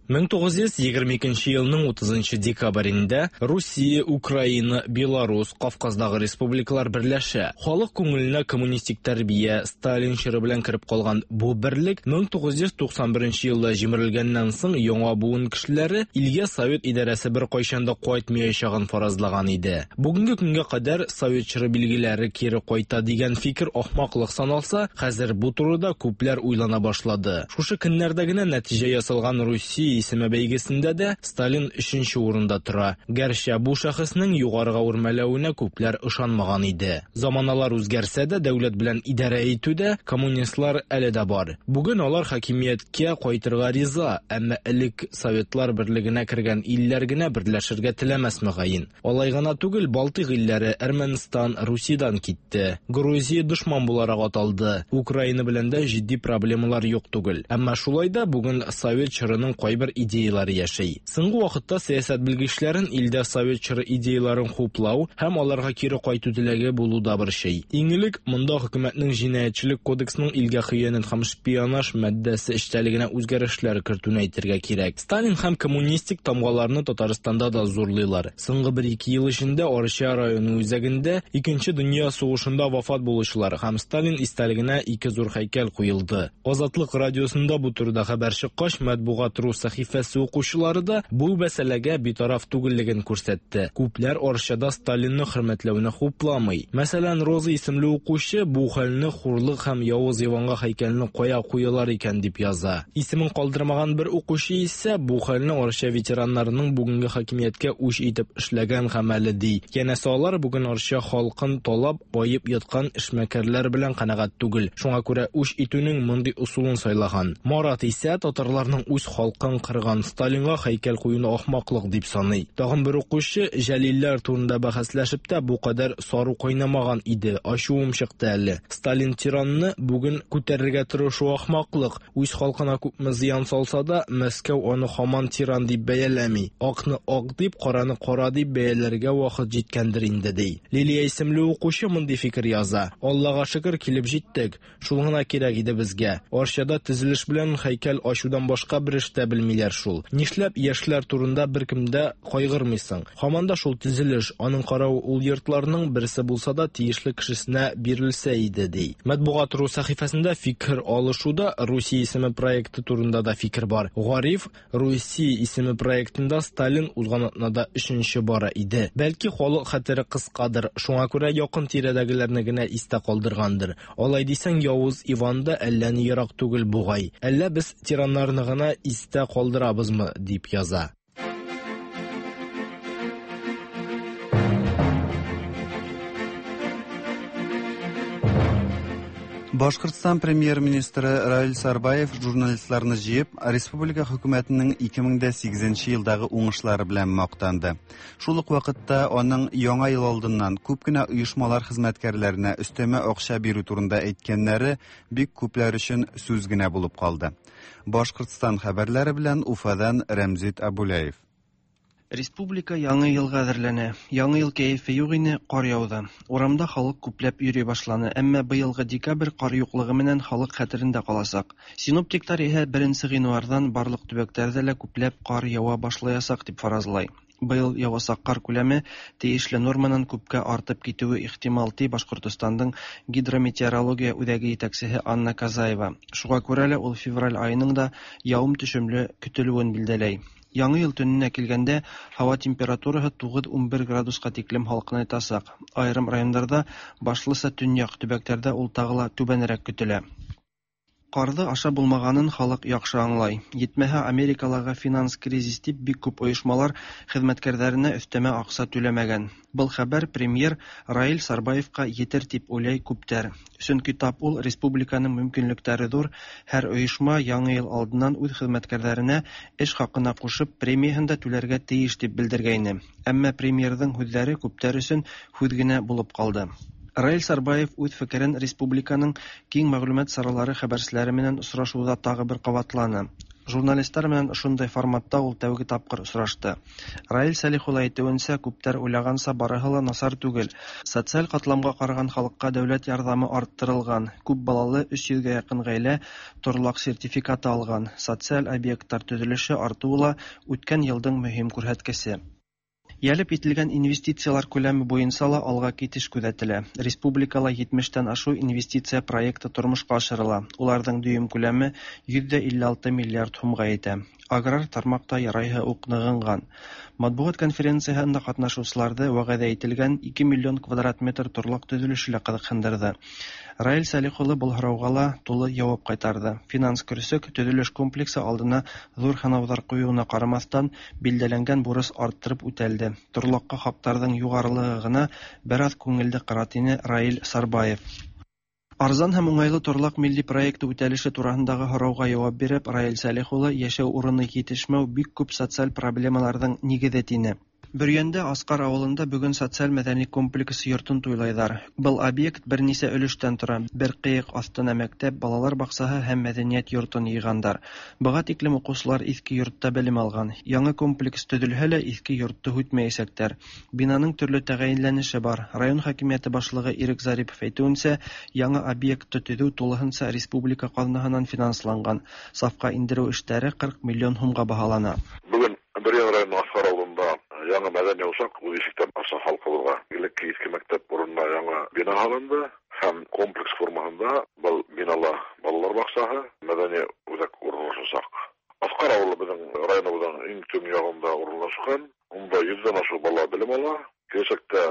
1922 елның 30 декабрендә Русия, Украина, Беларус, Кавказдагы республикалар берләшә. Халык күңеленә коммунистик тәрбия, Сталин чоры белән кереп калган бу берлек 1991 елда җимерелгәннән соң яңа буын кешеләре илгә совет идарәсе беркайчан да кайтмаячагын фаразлаган иде. Бүгенге көнгә кадәр совет чоры билгеләре кире кайта дигән фикер ахмаклык саналса, хәзер бу турыда күпләр уйлана башлады. Шушы көннәрдә генә нәтиҗә ясалган Русия исеме бәйгесендә дә Сталин өченче урында тора. Гәрчә бу шәхеснең югарыга үрмәләвенә күпләр ышанмаган иде. Заманалар үзгәрсә дә, дәүләт белән идарә итүдә коммунистлар әле дә бар. Бүген алар хакимияткә кайтырга риза, әмма элек Советлар берлегенә кергән илләр генә берләшергә теләмәс мөгаен. Алай гына түгел, Балтыйк илләре, Әрмәнстан Русиядән китте. Грузия дошман буларак аталды. Украина белән дә җитди проблемалар юк түгел. Әмма шулай да бүген совет чорының кайбер идеяләре яши. Соңгы вакытта сәясәт белгечләрен илдә совет чоры идеяләрен хуплау һәм аларга кире кайту теләге булу да борчый. Иң элек монда хөкүмәтнең җинаятьчелек кодексының илгә хыянәт һәм шпионаж маддәсе эчтәлегенә үзгәрешләр кертүне әйтергә кирәк. Сталин һәм коммунистик тамгаларны Татарстанда да зурлыйлар. Соңгы бер-ике ел эчендә Арча районы үзәгендә Икенче дөнья сугышында вафат булучылар һәм Сталин истәлегенә ике зур һәйкәл куелды. Азатлык радиосында бу турыда хәбәр чыккач, Матбугат ру сәхифәсе укучылары да бу мәсьәләгә битараф түгеллеген күрсәтте. Күпләр Арчада Сталинны хөрмәтләүне хупламый. Мәсәлән, Роза исемле укучы бу хәлне хурлык һәм явыз Иванга һәйкәлне кая куялар икән дип яза. Исемен калдырмаган бер укучы исә бу хәлне Арча ветераннарының бүгенге хакимияткә үч итеп эшләгән гамәле ди. Янәсе алар бүген Арча халкын талап, баеп яткан эшмәкәрләр белән канәгать түгел. Шуңа күрә үч итүнең мондый ысулын сайлаган. Марат исә татарларның үз халкын кырган Сталинга һәйкәл куюны ахмаклык дип саный. Тагын бер укучы Җәлилләр турында бәхәсләшеп тә бу кадәр сару кайнамаган иде, ачуым чыкты әле. Сталин тиранны бүген күтәрергә тырышу ахмаклык. Үз халкына күпме зыян салса да, Мәскәү аны һаман тиран дип бәяләми. Акны ак дип, караны кара дип бәяләргә вакыт җиткәндер инде, ди. Лилия исемле укучы мондый фикер яза. Аллага шөкер, килеп җиттек. Шул гына кирәк иде безгә. Арчада төзелеш белән һәйкәл ачудан башка бер эш тә белмиләр шул. Нишләп яшьләр турында беркем дә кайгырмыйсың? Һаман да шул төзелеш, аның каравы ул йортларның берсе булса да тиешле кешесенә бирелсә иде, ди. Матбугат ру сәхифәсендә фикер алышуда Русия исеме проекты турында да фикер бар. Гариф Русия исеме проектында Сталин узган атнада өченче бара иде. Бәлки халык хәтере кыскадыр, шуңа күрә якын тирәдәгеләрне генә истә калдыргандыр. Алай дисәң, Явыз Иван да әллә ни ерак түгел бугай. Әллә без тираннарны гына истә калдырабызмы, дип яза. Башкортстан премьер-министры Раил Сарбаев журналистларны җыеп, республика хөкүмәтенең 2008 елдагы уңышлары белән мактанды. Шул ук вакытта аның яңа ел алдыннан күп кенә оешмалар хезмәткәрләренә өстәмә акча бирү турында әйткәннәре бик күпләр өчен сүз генә булып калды. Башкортстан хәбәрләре белән Уфадан Рәмзит Абуляев. Республика Яңа елга әзерләнә. Яңа ел кәефе юк ине, кар яуды. Урамда халык күпләп йөри башланы, әмма быелгы декабрь кар юклыгы менән халык хәтерендә калачак. Синоптиклар иһә 1 гыйнвардан барлык төбәкләрдә лә күпләп кар ява башлаячак дип фаразлай. Быел явасак кар күләме тиешле норманан күпкә артып китүе ихтимал, ди Башкортостандың гидрометеорология үзәге җитәкчесе Анна Казаева. Шуңа күрә лә ул февраль аеның да явым-төшемле көтелүен билдәләй. Яңа ел төненә килгәндә, һава температурасы 9-11 градуска тиклем һалкынайтасак. Аерым районнарда, башлыча төньяк төбәкләрдә ул тагы ла түбәнрәк көтелә. Карды аша булмаганын халык яхшы аңлай. Йитмәһә, Америкалагы финанс кризис дип бик күп оешмалар хезмәткәрләренә өстәмә акча түләмәгән. Был хәбәр премьер Раил Сарбаевка етер дип уйлай күптәр. Чөнки тап ул республиканың мөмкинлекләре зур, һәр оешма яңа ел алдыннан үз хезмәткәрләренә эш хакына кушып премияһен дә түләргә тиеш дип белдергәйне. Әмма премьерҙың һүҙҙәре күптәр өсөн һүҙ генә булып калды. Раил Сарбаев үҙ фекерен республиканың киң мәгълүмат саралары хәбәрселәре менән осрашыуҙа тағы бер ҡабатланы. Журналистлар менән ошондай форматта ул тәүге тапҡыр осрашты. Раил Сәлих улы әйтеүенсә, күптәр уйлағанса барыһы ла насар түгел. Социаль ҡатламға ҡараған халыҡҡа дәүләт ярҙамы арттырылған, күп балалы 300-гә яҡын ғаилә торлаҡ сертификаты алған, социаль объекттар төҙөлөшө артыуы ла үткән йылдың мөһим күрһәткесе. Йәлеп ителгән инвестициялар күләме буйынса ла алға китеш күҙәтелә. Республикала 70-тән ашыу инвестиция проекты тормошҡа ашырыла. Уларҙың дөйөм күләме 156 миллиард һумға етә. Аграр тармаҡта ярайһы уҡ нығынған. Матбуғат конференцияһында ҡатнашыусыларҙы вәғәҙә ителгән 2 миллион квадрат метр торлаҡ төҙөлөшө лә ҡыҙыҡһындырҙы. Раил Сәлих улы был һорауға ла тулы яуап ҡайтарҙы. Финанс көрсөк төҙөлөш комплексы алдына ҙур һынауҙар ҡуйыуына ҡарамаҫтан, билдәләнгән бурыс арттырып үтәлде. Торлаҡҡа хаҡтарҙың юғарылығы ғына бер аҙ күңелде ҡыра, тине Раил Сарбаев. Арзан һәм уңайлы торлаҡ милли проекты үтәлеше тураһындағы һорауға яуап биреп, Раил Сәлих улы йәшәү урыны етешмәү бик күп социаль проблемаларҙың нигеҙе тине. Бөрйәндә Асҡар ауылында бөгөн социаль-мәҙәни комплекс йортон туйлайҙар. Был объект бер нисә өлөштән тора. Бер ҡыйыҡ аҫтына мәктәп, балалар баҡсаһы һәм мәҙәниәт йортон йыйғандар. Быға тиклем уҡыусылар иҫке йортта белем алған. Яңы комплекс төҙөлһә лә иҫке йортто һүтмәйәсәктәр. Бинаның төрлө тәғәйенләнеше бар. Район хакимиәте башлығы Ирек Зарипов әйтеүенсә, яңы объектты төҙөү тулыһынса республика ҡаҙнаһынан финансланған. Сафҡа индереү эштәре 40 миллион һумға баһалана. Бөгөн Бөрйән районы Асҡар ауылында яңы мәҙәни усаҡ үҙ ишектән аса халҡыбыҙға. Элекке иҫке мәктәп урынына яңы бина һалынды һәм комплекс формаһында был бинала балалар баҡсаһы, мәҙәни үҙәк урынлашасаҡ. Асҡар ауылы беҙҙең районыбыҙҙың иң төньяғында урынлашҡан. Унда 100-дән ашыу бала белем ала. Киләсәктә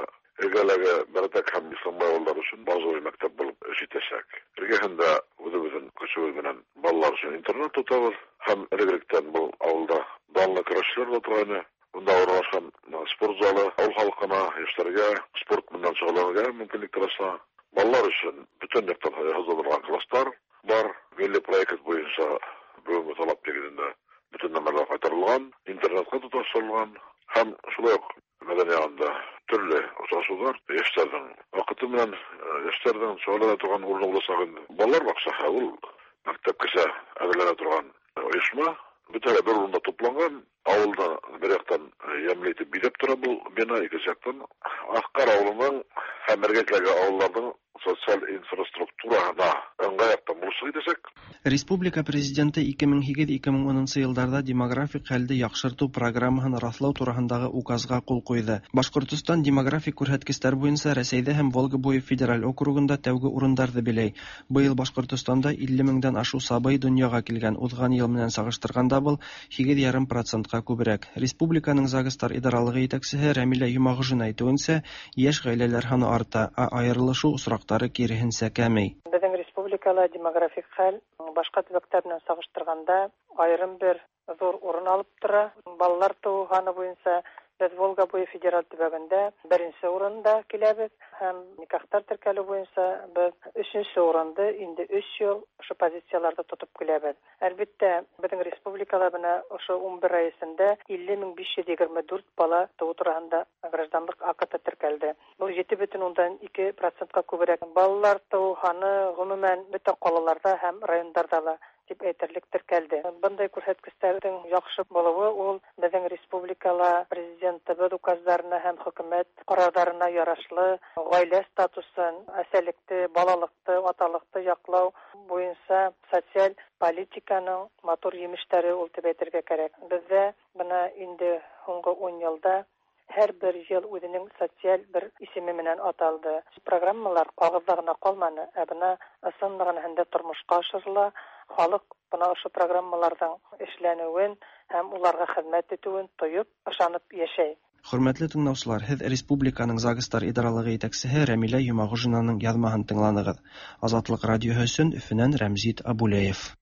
эргәләге Бәрәтәк һәм Исламбай ауылдары өсөн базовый мәктәп булып эш итәсәк. Эргәһендә үҙебеҙҙең көсөбөҙ менән балалар өсөн интернат тотабыҙ һәм элегеректән был ауылда данлы көрәшселәр ҙә торғайны. Унда урынлашҡан спорт залы ауыл халҡына, йәштәргә спорт менән шөғөлләнергә мөмкинлек тора. Балалар өсөн бөтөн яҡтан йыһазландырылған класстар бар. Милли проект буйынса бөгөнгө талап нигеҙендә бөтөн нәмәләр ҡайтарылған, интернетҡа тоташтырылған һәм шулай уҡ мәҙәни яғында төрлө осрашыуҙар, йәштәрҙең ваҡыты менән йәштәрҙең шөғөлләнә торған урыны буласаҡ инде. Балалар баҡсаһы ул мәктәпкәсә әҙерләнә торған ойошма. Бөтәһе бер урында тупланған. Ауылда бер яҡтан йәмле итеп биҙәп тора был бина, икенсе яҡтан Аҫҡар ауылының һәм эргәләге ауылдарҙың социаль инфраструктураһына ыңғай яҡтан булышлыҡ итәсәк. Республика президенты 2008-2010 йылдарҙа демографик хәлде яҡшыртыу программаһын раҫлау тураһындағы указға ҡул ҡуйҙы. Башҡортостан демографик күрһәткестәр буйынса Рәсәйҙә һәм Волга буйы федераль округында тәүге урындарҙы биләй. Быйыл Башҡортостанда 50 меңдән ашыу сабый донъяға килгән. Уҙған йыл менән сағыштырғанда был 8,5%-ҡа күберәк. Республиканың ЗАГСтар идаралығы етәксеһе Рәмилә Йомағужина әйтеүенсә, йәш ғаиләләр һаны арта, ә айырылышыу осраҡтары киреһенсә кәмей. Беҙҙең республикала демографик хәл башҡа төбәктәр менән сағыштырғанда айырым бер ҙур урын алып тора. Балалар тыуыу һаны буйынса Без Волга буе федераль төбәгендә беренче урында киләбез һәм никахтар теркәлү буенча без өченче урынды инде өч ел ошо позицияләрдә тотып киләбез. Әлбиттә, безнең республикада менә ошо 11 ай эчендә 50 524 бала туу тураһында гражданлык акты теркәлде. Бу 7,2 процентка күбрәк. Балалар туу һаны гомумән бөтә калаларда һәм райондарда ла дип әйтерлек теркәлде. Бындай күрһәткечләрнең яхшы булуы ул безнең республикала президентыбыз указларына һәм хөкүмәт карарларына ярашлы гаилә статусын, әсәлекте, балалыкты, аталыкты яклау буенча социаль политиканың матур йимешләре ул дип әйтергә кирәк. Бездә менә инде һуңгы 10 елда һәр бер ел үзенең социаль бер исеме менән аталды. Программалар кагызда гына калманы, ә бына ысын мәгънәһендә тормышка ашырыла. Халык бына ошо программаларның эшләнүен һәм уларга хезмәт итүен тоеп, ышанып яшәй. Хөрмәтле тыңлаучылар, һеҙ республиканың ЗАГСтар идаралығы етәксеһе Рәмилә Йомағужинаның яҙмаһын тыңланығыҙ. Азатлыҡ радиоһы өсөн Өфөнән Рәмзит Абулеев.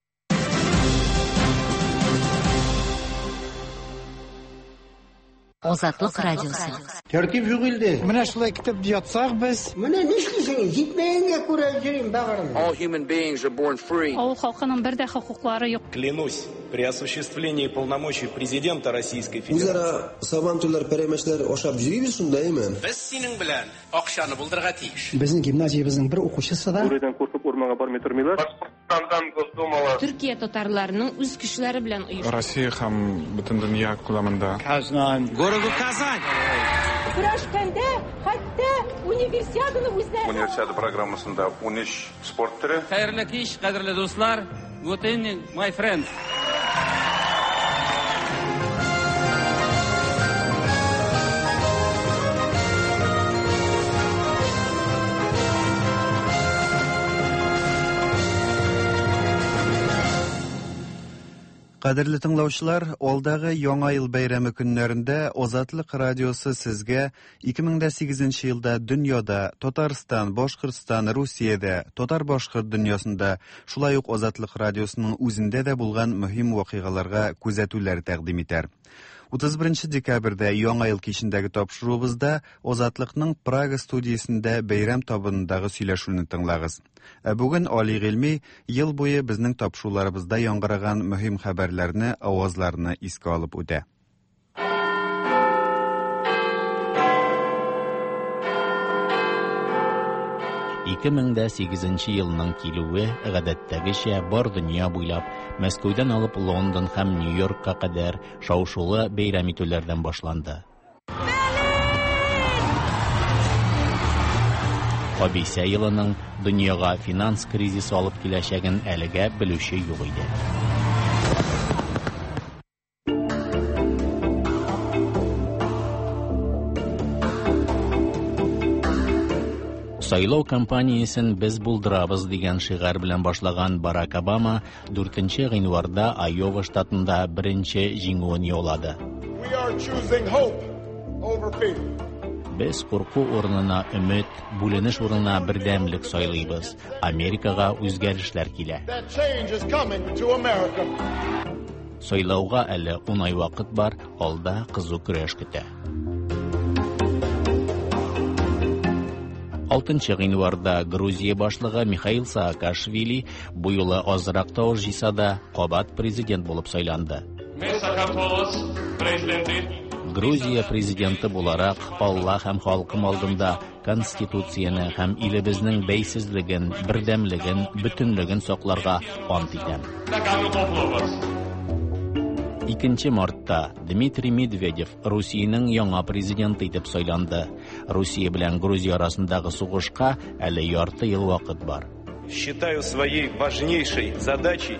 Азатлык радиосы. Тәртип юк илдә. Менә шулай көтеп ятсак без. Менә нишлисең? Җитмәгәнгә күрә йөрим бәгырем. All human beings are born free. Авыл халкының бер дә хокуклары юк. Клянусь, при осуществлении полномочий президента Российской Федерации. Үзара сабантуйлар, пәрәмәчләр ашап йөрибез шунда, әйме? Без синең белән акчаны булдырырга тиеш. Безнең гимназиябезнең бер укучысы да Бүредән куркып урманга бармый тормыйлар. Башкортстандан Госдумала. Төркия татарларының үз көчләре белән оешты. Россия һәм бөтен дөнья күләмендә. Казан. Городу Казань. Көрәшкәндә хәтта универсиаданы үзләре. Универсиада программасында 13 спорт төре. Хәерле кич, кадерле дуслар. Good evening, my friends. Кадерле тыңлаучылар, алдагы Яңа ел бәйрәме көннәрендә Азатлык радиосы сезгә 2008 елда дөньяда, Татарстан, Башкортстан, Русиядә, татар-башкорт дөньясында, шулай ук Азатлык радиосының үзендә дә булган мөһим вакыйгаларга күзәтүләр тәкъдим итәр. 31 декабрьдә Яңа ел кичендәге тапшыруыбызда Азатлыкның Прага студиясендә бәйрәм табынындагы сөйләшүне тыңлагыз. Ә бүген Али Гыйльми ел буе безнең тапшыруларыбызда яңгыраган мөһим хәбәрләрне, авазларны искә алып үтә. 2008 елның килүе гадәттәгечә бар дөнья буйлап Мәскәүдән алып Лондон һәм Нью-Йоркка кадәр шау-шулы бәйрәм итүләрдән башланды. Кабисә елының дөньяга финанс кризисы алып киләчәген әлегә белүче юк иде. Сайлау кампаниясен без булдырабыз дигән шигарь белән башлаган Барак Обама 4 гыйнварда Айова штатында беренче җиңүен яулады. We are choosing hope over fear. Без курку урынына өмет, бүленеш урынына бердәмлек сайлыйбыз. Америкага үзгәрешләр килә. That change is coming to America. Сайлауга әле 10 ай вакыт бар, алда кызу көрәш көтә. 6 гыйнварда Грузия башлыгы Михаил Саакашвили бу юлы азрак тавыш җыйса да, кабат президент булып сайланды. Грузия президенты буларак Алла һәм халкым алдында конституцияне һәм илебезнең бәйсезлеген, бердәмлеген, бөтенлеген сакларга ант итәм. 2 мартта Дмитрий Медведев Русиянең яңа президенты итеп сайланды. Русия белән Грузия арасындагы сугышка әле ярты ел вакыт бар. Считаю своей важнейшей задачей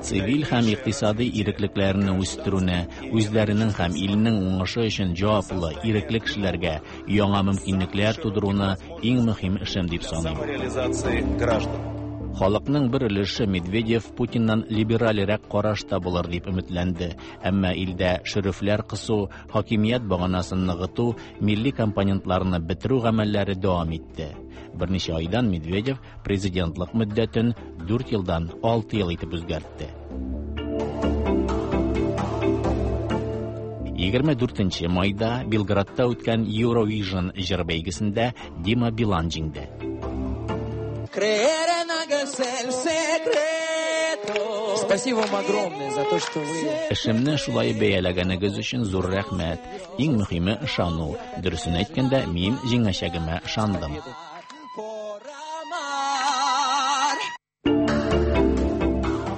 Цивиль һәм икътисади иреклекләрне үстерүне, үзләренең һәм илнең уңышы өчен җаваплы, ирекле кешеләргә яңа мөмкинлекләр тудыруны иң мөһим эшем дип саныйм. самореализации граждан. Халыкның бер өлеше Медведев Путиннан либеральрәк карашта булыр дип өметләнде. Әмма илдә шөрефләр кысу, хакимият баганасын ныгыту, милли компонентларны бетерү гамәлләре дәвам итте. Берничә айдан Медведев президентлык мөддәтен 4 елдан 6 ел итеп үзгәртте. 24 майда Белградта үткән Eurovision җыр бәйгесендә Дима Билан җиңде. Спасибо вам огромное за то, что вы... Эшемне шулай бәяләгәнегез өчен зур рәхмәт. Иң мөһиме ышану. Дөресен әйткәндә, мин җиңәчәгемә ышандым.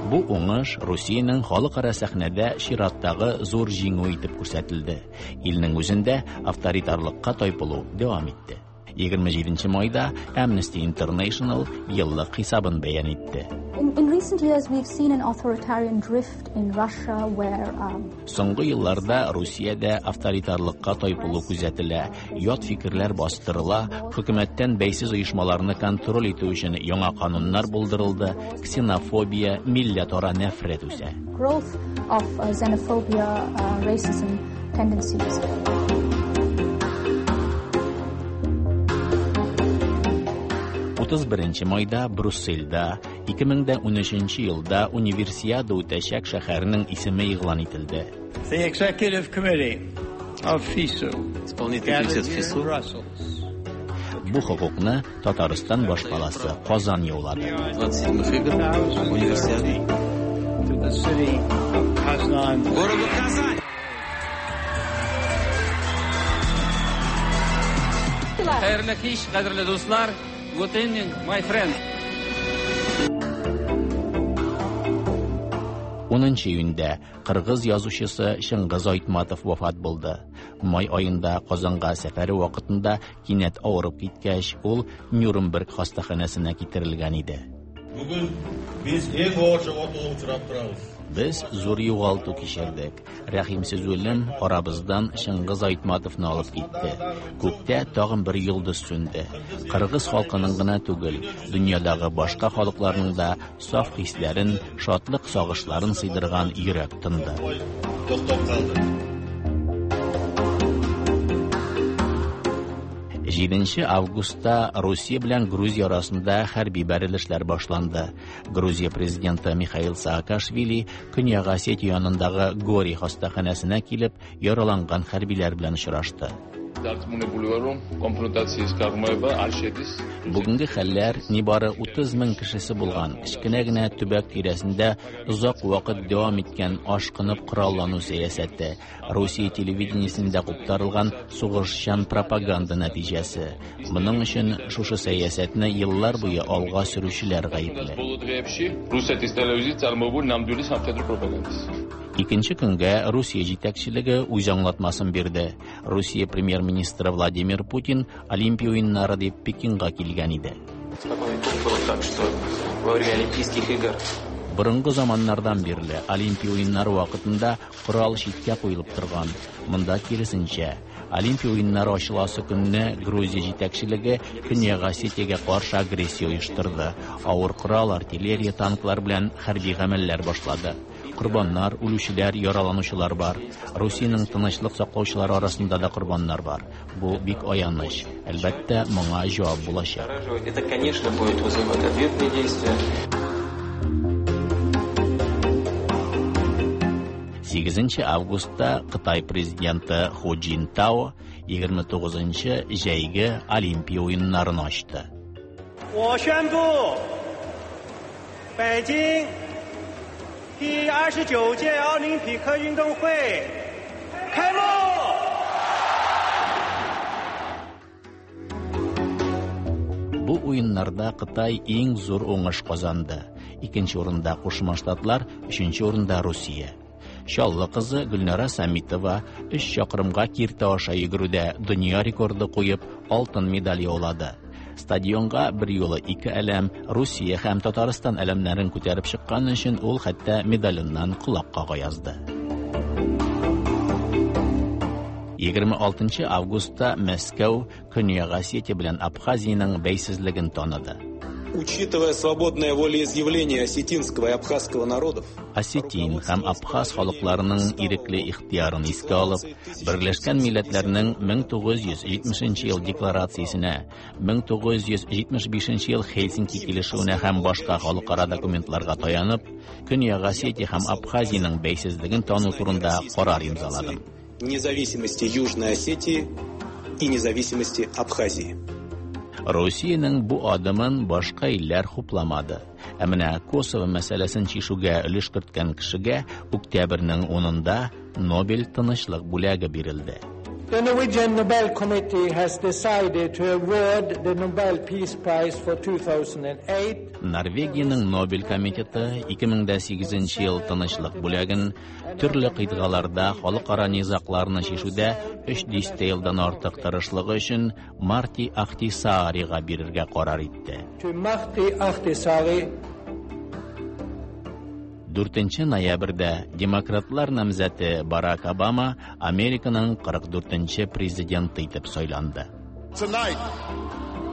Бу уңыш Русиянең халыкара сәхнәдә чираттагы зур җиңү итеп күрсәтелде. Илнең үзендә авторитарлыкка тайпылу дәвам итте. 27 майда Amnesty International еллык хисабын бәян итте. In recent years we've seen an authoritarian drift in Russia where Соңгы елларда Русиядә авторитарлыкка тайпылу күзәтелә, ят фикерләр бастырыла, хөкүмәттән бәйсез оешмаларны контроль итү өчен яңа кануннар булдырылды, ксенофобия, милләтара нәфрәт үсә. Growth of xenophobia, racism tendencies. 31 майда Брюссельдә 2013 елда Универсиада үтәчәк шәһәрнең исеме игълан ителде. The Executive Committee of FISU. Исполнительный комитет ФИСУ. Бу хокукны Татарстан башкаласы Казан яулады. 27 игр Универсиады. To the city of Kazan. Городу Казань. Хәерле кич, кадерле дуслар. Good evening, my friend. 10 июньдә кыргыз язучысы Чыңгыз Айтматов вафат булды. Май аенда Казанга сәфәре вакытында кинәт авырып киткәч, ул Нюрнберг хастаханәсенә китерелгән иде. Бүген без иң авыр югалтуга очрап торабыз. Без зур югалту кичердек. Рәхимсез үлем арабыздан Чыңгыз Айтматовны алып китте. Күктә тагын бер йолдыз сүнде. Кыргыз халкының гына түгел, дөньядагы башка халыкларның да саф хисләрен, шатлык сагышларын сыйдырган йөрәк тынды. Туктап калды. 7 августта Русия белән Грузия арасында хәрби бәрелешләр башланды. Грузия президенты Михаил Саакашвили Көньяк Осетия янындагы Гори хастаханәсенә килеп, яраланган хәрбиләр белән очрашты. Бүгенге хәлләр нибары 30 мең кешесе булган кечкенә генә төбәк тирәсендә озак вакыт дәвам иткән ашкынып кораллану сәясәте, Русия телевидениесендә куптарылган сугышчан пропаганда нәтиҗәсе. Моның өчен шушы сәясәтне еллар буе алга сөрүчеләр гаепле. Икенче көнгә Русия җитәкчелеге үз аңлатмасын бирде. Русия премьер-министры Владимир Путин Олимпия уеннары дип Пекинга килгән иде. Борынгы заманнардан бирле Олимпия уеннары вакытында корал читкә куелып торган. Монда киресенчә, Олимпия уеннары ачыласы көнне Грузия җитәкчелеге Көньяк Осетиягә каршы агрессия оештырды. Авыр корал, артиллерия, танклар белән хәрби гамәлләр башлады. Корбаннар, үлүчеләр, яраланучылар бар. Русиянең тынычлык саклаучылары арасында да корбаннар бар. Бу бик аяныч. Әлбәттә, моңа җавап булачак. Это, конечно, будет вызывать ответные действия. 8 августта Кытай президенты Ху Цзиньтао 29 җәйге Олимпия уеннарын ачты. 我宣布，北京第29届奥林匹克运动会开幕。 Бу уеннарда Кытай иң зур уңыш казанды. Икенче урында Кушма Штатлар, өченче урында Русия. Чаллы кызы Гөлнара Самитова 3 чакрымга киртә аша йөгерүдә дөнья рекорды куеп, алтын медаль яулады. Стадионга бер юлы ике әләм, Русия һәм Татарстан әләмнәрен күтәреп чыккан өчен ул хәтта медаленнән колак кага язды. 26 августта Мәскәү Көньяк Осетия белән Абхазиянең бәйсезлеген таныды. Учитывая свободное волеизъявление осетинского и абхазского народов, Осетин һәм Абхаз халыкларының ирекле ихтыярын искә алып, Берләшкән Милләтләрнең 1970 ел декларациясенә, 1975 ел Хельсинки килешүенә һәм башка халыкара документларга таянып, Көньяк Осетия һәм Абхазиянең бәйсезлеген тану турында карар имзаладым. Независимости Южной Осетии и независимости Абхазии. Русиянең бу адымын башка илләр хупламады. Ә менә Косово мәсьәләсен чишүгә өлеш керткән кешегә октябрьнең 10-ында Нобель тынычлык бүләге бирелде. The Norwegian Nobel Committee has decided to award the Nobel Peace Prize for 2008. Норвегиянең Нобель комитеты 2008 ел тынычлык бүләген төрле кыйтгаларда халыкара низагларны чишүдә 3 дистә елдан артык тырышлыгы өчен Марти Ахтисаарига бирергә карар итте. To Martti Ahtisaari. 4 ноябрьдә демократлар намзәте Барак Обама Американың 44-нче президенты итеп сайланды. Tonight,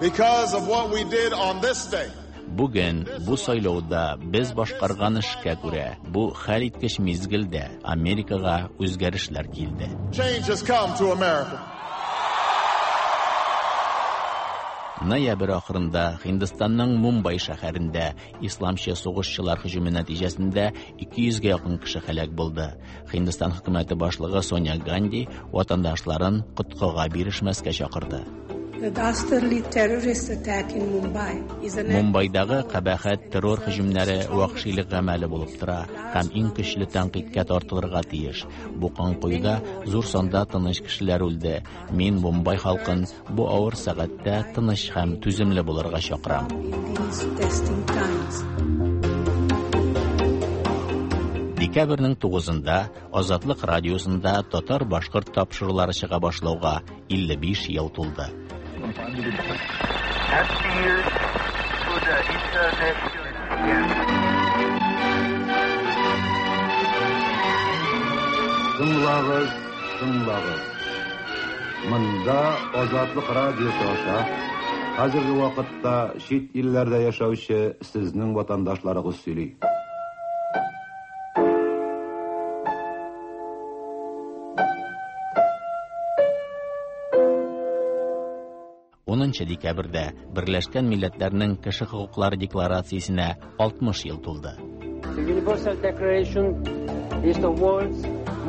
because of what we did on this day, Бүген бу сайлауда без башкарган эшкә күрә, бу хәлиткеч мизгелдә Америкага үзгәрешләр килде. Change has come to America. Ноябрь ахырында Һиндстанның Мумбай шәһәрендә исламчы сугышчылар һөҗүме нәтиҗәсендә 200гә якын кеше һәлак булды. Һиндстан хөкүмәте башлыгы Соня Ганди ватандашларын коткыга бирешмәскә чакырды. The dastardly terrorist attack in Mumbai is an Мумбайдагы кабахәт террор һөҗүмнәре вәхшилек гамәле булып тора һәм иң көчле тәнкыйтькә тартылырга тиеш. Бу канкоюда зур санда тыныч кешеләр үлде. Мин Мумбай халкын бу авыр сәгатьтә тыныч һәм түземле булырга чакырам. In these testing times. Декабрьнең 9-ында Азатлык радиосында татар-башкорт тапшырулары чыга башлауга 55 ел тулды. Тыңлагыз, тыңлагыз. Монда Азатлык радиосы аша хәзерге вакытта чит илләрдә яшәүче сезнең ватандашларыгыз сөйли. Унынчы декабрьдә Берләшкән Милләтләрнең Кеше хокуклары декларациясенә 60 ел тулды. The Universal Declaration is the world's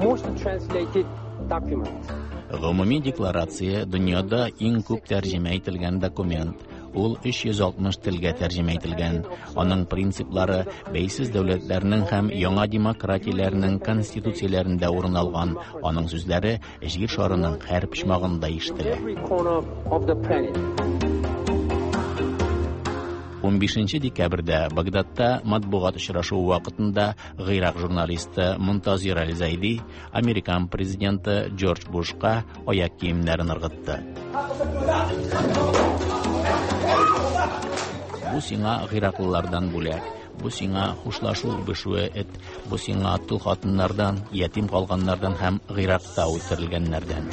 most translated document. Гомуми декларация дөньяда иң күп тәрҗемә ителгән документ. Ул 360 телгә тәрҗемә ителгән. Аның принциплары бәйсез дәүләтләрнең һәм яңа демократияләрнең конституцияләрендә урын алган. Аның сүзләре җир шарының һәр почмагында ишетелә. Every corner of the planet. 15 декабрьдә Багдадта матбугат очрашуы вакытында Гыйрак журналисты Мунтазир Аль-Зайди американ президенты Джордж Бушка аяк киемнәрен ыргытты. Бу сиңа гыйраклылардан бүләк, бу сиңа хушлашу үбешүе эт, бу сиңа тол хатыннардан, ятим калганнардан һәм Гыйракта үтерелгәннәрдән.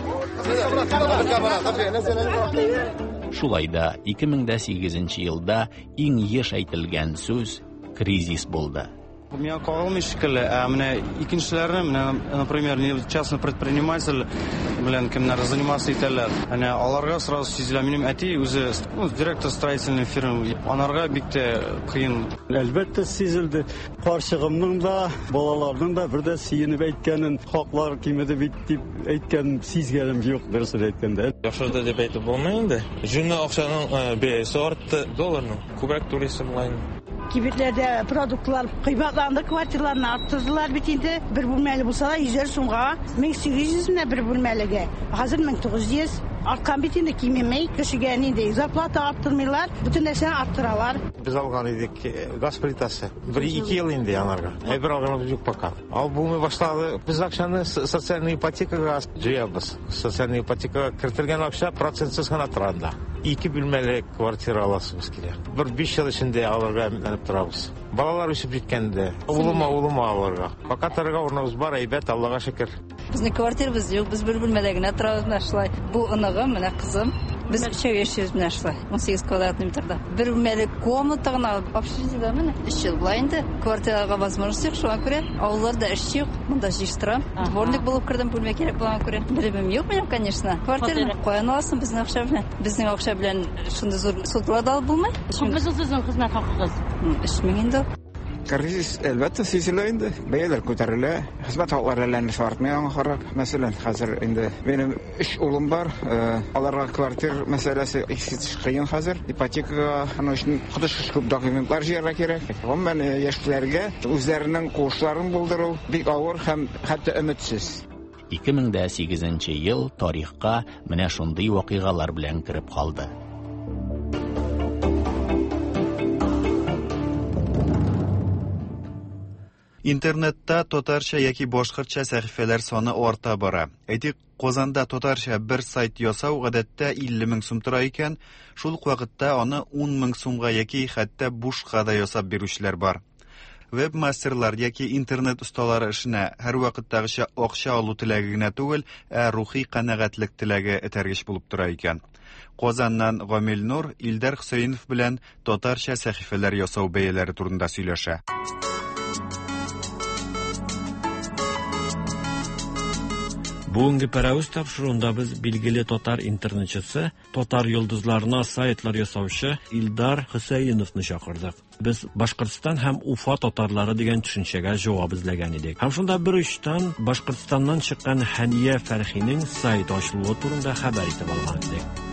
Шулай да 2008 елда иң еш әйтелгән сүз кризис булды. Миңа кагылмый шикелле, ә менә икенчеләрне, менә, например, частный предприниматель белән кемнәр заниматься итәләр. Әнә аларга сразу сизелә. Минем әти үзе, ну, директор строительной фирмы. Анарга бик тә кыен. Әлбәттә сизелде. Карчыгымның да, балаларның да бер дә сөенеп әйткәнен, хаклар кимеде бит дип әйткән сизгәнем юк, дөресен әйткәндә. Яхшырды дип әйтеп булмый инде. Җүнле акчаның бәясе артты, долларның. Күбрәк түлисе була инде. Кибетләрдә продуктлар кыйбатланды, квартираларны арттырдылар бит инде. Бер бүлмәле булса да 100 сумга, 1800 менә бер бүлмәлегә. Хәзер 1900. Арткан бит инде, кимемей. Кешегә нинди зарплата арттырмыйлар, бөтен нәрсәне арттыралар. Без алган идек газ плитасы. Бер ике ел инде анарга. Әйбер алганыбыз юк пока. Ал булмый башлады. Без акчаны социальный ипотекага җыябыз. Социальный ипотекага кертелгән акча процентсыз гына тора анда. Ике бүлмәле квартира аласыбыз килә. Бер 5 ел эчендә алырга өметләнеп торабыз. Балалар үсеп җиткәндә, улыма, улыма алырга. Пока торырга урыныбыз бар, әйбәт, Аллага шөкер. Безнең квартирабыз юк, без бер бүлмәдә генә торабыз менә шулай. Бу оныгым, менә кызым. Без өчәү яшибез менә шулай, 18 квадрат метрда. Бер бүлмәле комната гына общежитиедә менә 3 ел була инде. Квартирага возможность юк, шуңа күрә авылларда эш юк, монда җыештырам. Дворник булып кердем, бүлмә кирәк булганга күрә. Белемем юк минем, конечно. Квартираны каян аласың безнең акча белән? Безнең акча белән шундый зур судлар да алып булмый. Күпме соң сезнең хезмәт хакыгыз? 3000 инде. Кризис, әлбәттә, сизелә инде. Бәяләр күтәрелә, хезмәт хаклары әллә нәрсә артмый аңа карап. Мәсәлән, хәзер инде минем өч улым бар, аларга квартир мәсьәләсе искиткеч кыен хәзер. Ипотекага аның өчен коточкыч күп документлар җыярга кирәк. Гомумән, яшьләргә үзләренең куышларын булдыру бик авыр һәм хәтта өметсез. 2008 ел тарихка менә шундый вакыйгалар белән кереп калды. Интернетта татарча яки башкортча сәхифәләр саны арта бара. Әйтик, Казанда татарча бер сайт ясау гадәттә 50 мең сум тора икән, шул ук вакытта аны 10 мең сумга яки хәтта бушка да ясап бирүчеләр бар. Веб-мастерлар яки интернет осталары эшенә һәрвакыттагыча акча алу теләге генә түгел, ә рухи канәгатьлек теләге этәргеч булып тора икән. Казаннан Гамил Нур Илдар Хөсәенов белән татарча сәхифәләр ясау бәяләре турында сөйләшә. Бүгенге Пәрәвез тапшыруында без билгеле татар интернетчысы, татар йолдызларына сайтлар ясаучы Илдар Хөсәеновны чакырдык. Без Башкортстан һәм Уфа татарлары дигән төшенчәгә җавап эзләгән идек. Һәм шунда бер очтан Башкортстаннан чыккан Хәния Фәрхинең сайт ачылуы турында хәбәр итеп алган идек.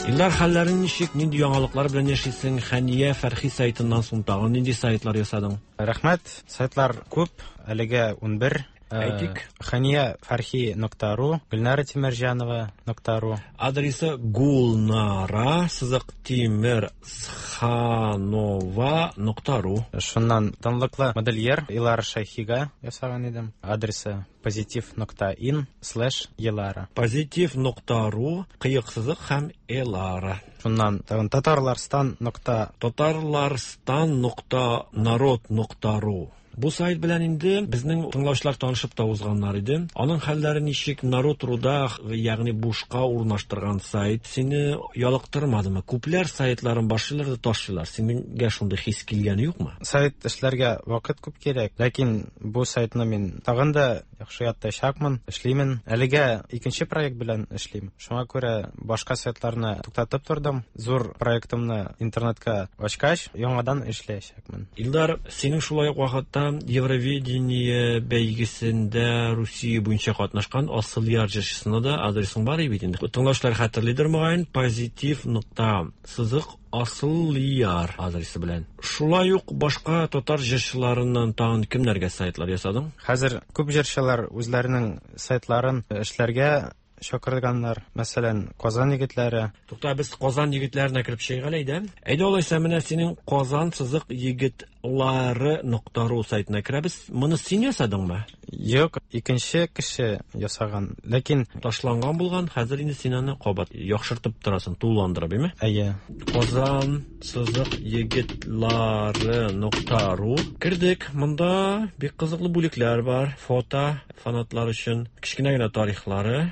Илдар, хәлләрең ничек? Нинди яңалыклар белән яшисең? Хәния Фәрхи сайтыннан соң тагын нинди сайтлар ясадың? Рәхмәт. Сайтлар күп, әлегә 11. Әйтик. Хәния Фәрхи нокта ру, Гөлнара Тимерҗанова нокта ру. Адресы Гулнара сызык Тимерсханова нокта ру. Шуннан данлыклы модельер Илара Шәйхига ясаган идем. Адресы позитив нокта ин слэш Елара. Позитив нокта ру, кыек сызык һәм Элара. Шуннан тагын татарларстан нокта Татарларстан нокта народ нокта ру. Бу сайт белән инде безнең тыңлаучылар танышып та узганнар иде. Аның хәлләре ничек? Народ руда, ягъни бушка урнаштырган сайт сине ялыктырмадымы? Күпләр сайтларын башлыйлар да ташлыйлар. Синеңгә шундый хис килгәне юкмы? Сайт эшләргә вакыт күп кирәк, ләкин бу сайтны мин тагын да яхшы яттачакмын, эшлимен. Әлегә икенче проект белән эшлим. Шуңа күрә башка сайтларны туктатып тордым. Зур проектымны интернетка ачкач, яңадан эшләячәкмен. Илдар, синең шулай ук вакытта Евровидение бәйгесендә Русия буенча катнашкан Асылъяр җырчысына да адресың бар бит инде. Тыңлаучылар хәтерлидер мөгаен, позитив нокта сызык Асылъяр адресы белән. Шулай ук башка татар җырчыларыннан тагын кемнәргә сайтлар ясадың? Хәзер күп җырчылар үзләренең сайтларын эшләргә чакырганнар. Мәсәлән, Казан егетләре. Тукта, без Казан егетләренә кереп чыгыйк әле, әйдә. Әйдә алайса, менә синең Казан сызык егетлары нокта ру сайтына керәбез. Моны син ясадыңмы? Юк, икенче кеше ясаган. Ләкин ташланган булган, хәзер инде син аны кабат яхшыртып торасың, тулыландырып, әйме? Әйе. Казан сызык егетлары нокта ру. Кердек. Монда бик кызыклы бүлекләр бар. Фото фанатлар өчен, кечкенә генә тарихлары.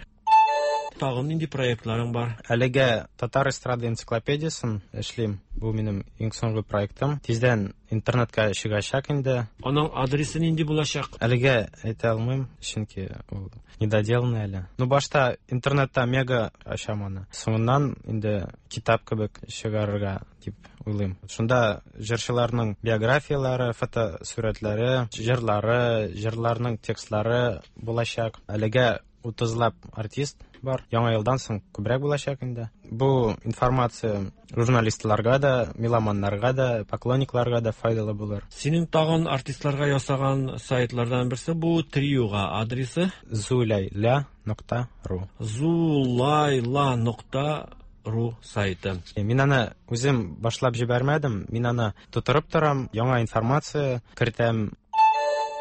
Тагын нинди проектларың бар? Әлегә Татар эстрада энциклопедиясен эшлим. Бу минем иң соңгы проектым. Тиздән интернетка чыгачак инде. Аның адресы нинди булачак? Әлегә әйтә алмыйм, чөнки ул недоделанный әле. Ну, башта интернетта мега ачам аны. Соңыннан инде китап кебек чыгарырга дип уйлыйм. Шунда җырчыларның биографияләре, фотосурәтләре, җырлары, җырларның текстлары булачак. Әлегә 30лап артист бар. Яңа елдан соң күбрәк булачак инде. Бу информация журналистларга да, меломаннарга да, поклонникларга да файдалы булыр. Синең тагын артистларга ясаган сайтлардан берсе бу триога адресы зулайла нокта ру. Зулайла нокта ру сайты. Мин аны үзем башлап җибәрмәдем, мин аны тутырып торам, яңа информация кертәм.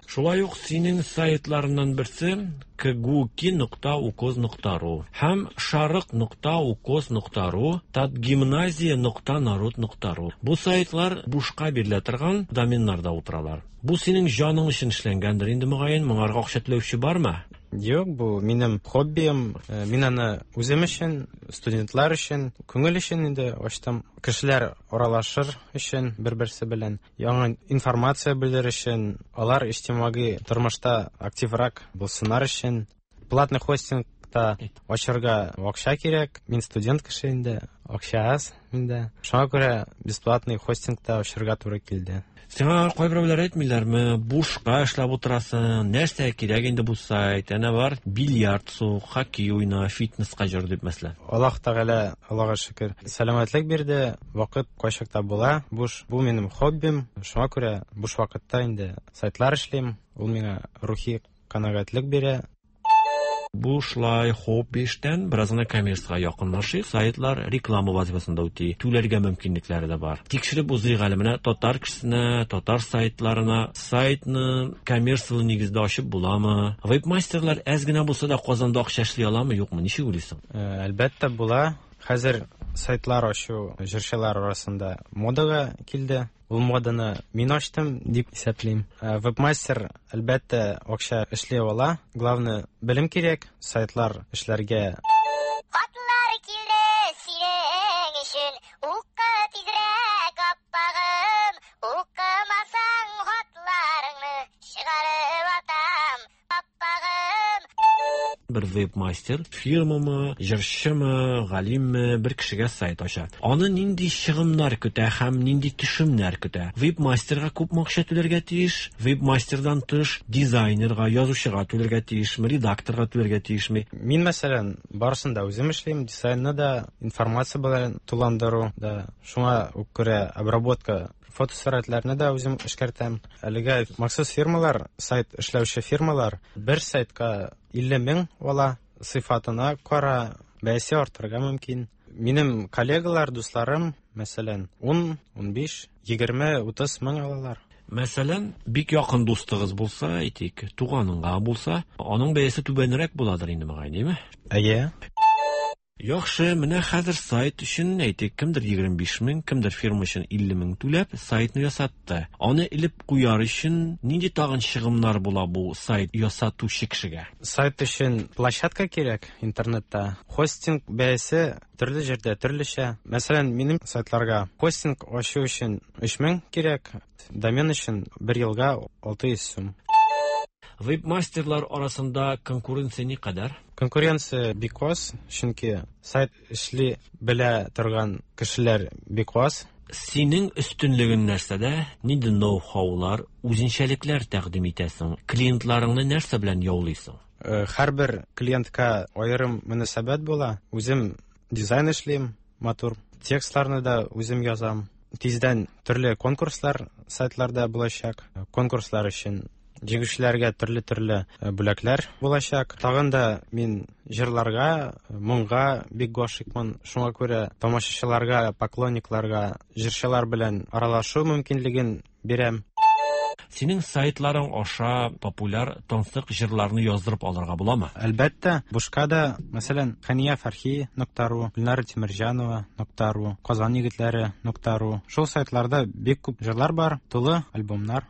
Шулай ук синең сайтларыннан берсе кгуки нокта укоз нокта ру һәм шарык нокта укоз нокта ру, татгимназия нокта народ нокта ру. Бу сайтлар бушка бирелә торган доменнарда утыралар. Бу синең җаның өчен эшләнгәндер инде мөгаен, моңарга акча түләүче бармы? Юк, бу минем хоббием. Мин аны үзем өчен, студентлар өчен, күңел өчен инде ачтым. Кешеләр аралашыр өчен бер-берсе белән, яңа информация белер өчен, алар иҗтимагый тормышта активрак булсыннар өчен. Платный хостинг Хостингта ачарга акча кирәк. Мин студент кеше инде, акча аз миндә. Шуңа күрә бесплатный хостингта ачарга туры килде. Сиңа кайберәүләр әйтмиләрме, бушка эшләп утырасың, нәрсә кирәк инде бу сайт, әнә бар, бильярд сук, хоккей уйна, фитнеска җөр дип мәсәлән. Аллаһ Тәгалә, Аллага шөкер, сәламәтлек бирде, вакыт кайчакта була. Буш, бу минем хоббим. Шуңа күрә буш вакытта инде сайтлар эшлим. Ул миңа рухи канәгатьлек бирә. Бу шулай хобби эштән бераз гына коммерциягә якынлашыйк. Сайтлар реклама вазифасын да үти, түләргә мөмкинлекләре дә бар. Тикшереп узыйк әле менә татар кешесенә, татар сайтларына сайтны коммерцияле нигездә ачып буламы? Веб-мастерлар әз генә булса да Казанда акча эшли аламы, юкмы? Ничек уйлыйсың? Әлбәттә була. Хәзер сайтлар ачу җырчылар арасында модага килде. Ул моданы мин ачтым дип исәплим. Вебмастер, әлбәттә, акча эшли ала. Главное, белем кирәк, сайтлар эшләргә. Хатлар килде синең өчен, укы тизрәк, аппагым, укымасаң хатларыңны чыгарып атам, аппагым. Бер веб-мастер фирмамы, җырчымы, галимме бер кешегә сайт ача. Аны нинди чыгымнар көтә һәм нинди төшемнәр көтә? Веб-мастерга күпме акча түләргә тиеш? Веб-мастердан тыш дизайнерга, язучыга түләргә тиешме, редакторга түләргә тиешме? Мин, мәсәлән, барысын да үзем эшлим, дизайнны да, информация белән тулыландыру да, шуңа ук күрә обработка фотосурәтләрне дә үзем эшкәртәм. Әлегә махсус фирмалар, сайт эшләүче фирмалар бер сайтка 50 мең ала, сыйфатына кара бәясе артырга мөмкин. Минем коллегалар, дусларым, мәсәлән, 10, 15, 20, 30 мең алалар. Мәсәлән, бик якын дустыгыз булса, әйтик, туганыңга булса, аның бәясе түбәнрәк буладыр инде, мөгаен, димме? Әйе. Яхшы, менә хәзер сайт өчен, әйтик, кемдер 25 мең, кемдер фирма өчен 50 мең түләп сайтны ясатты. Аны элеп куяр өчен нинди тагын чыгымнар була бу сайт ясатучы кешегә? Сайт өчен площадка кирәк интернетта. Хостинг бәясе төрле җирдә төрлечә. Мәсәлән, минем сайтларга хостинг ачу өчен 3000 кирәк, домен өчен бер елга 600 сум. Веб-мастерлар арасында конкуренция никадәр? Конкуренция бик аз, чөнки сайт эшли белә торган кешеләр бик аз. Синең өстенлегең нәрсәдә? Нинди ноу-хаулар, үзенчәлекләр тәкъдим итәсең? Клиентларыңны нәрсә белән яулыйсың? Һәрбер клиентка аерым мөнәсәбәт була. Үзем дизайн эшлим, матур. Текстларны да үзем язам. Тиздән төрле конкурслар сайтларда булачак. Конкурслар өчен җиңүчеләргә төрле-төрле бүләкләр булачак. Тагын да мин җырларга, моңга бик гашыйкмын. Шуңа күрә тамашачыларга, поклонникларга җырчылар белән аралашу мөмкинлеген бирәм. Синең сайтларың аша популяр тансык җырларны яздырып алырга буламы? Әлбәттә, бушка да, мәсәлән, Хәния Фәрхи нокта ру, Гөлнара Тимерҗанова нокта ру, Казан егетләре нокта ру. Шул сайтларда бик күп җырлар бар, тулы альбомнар.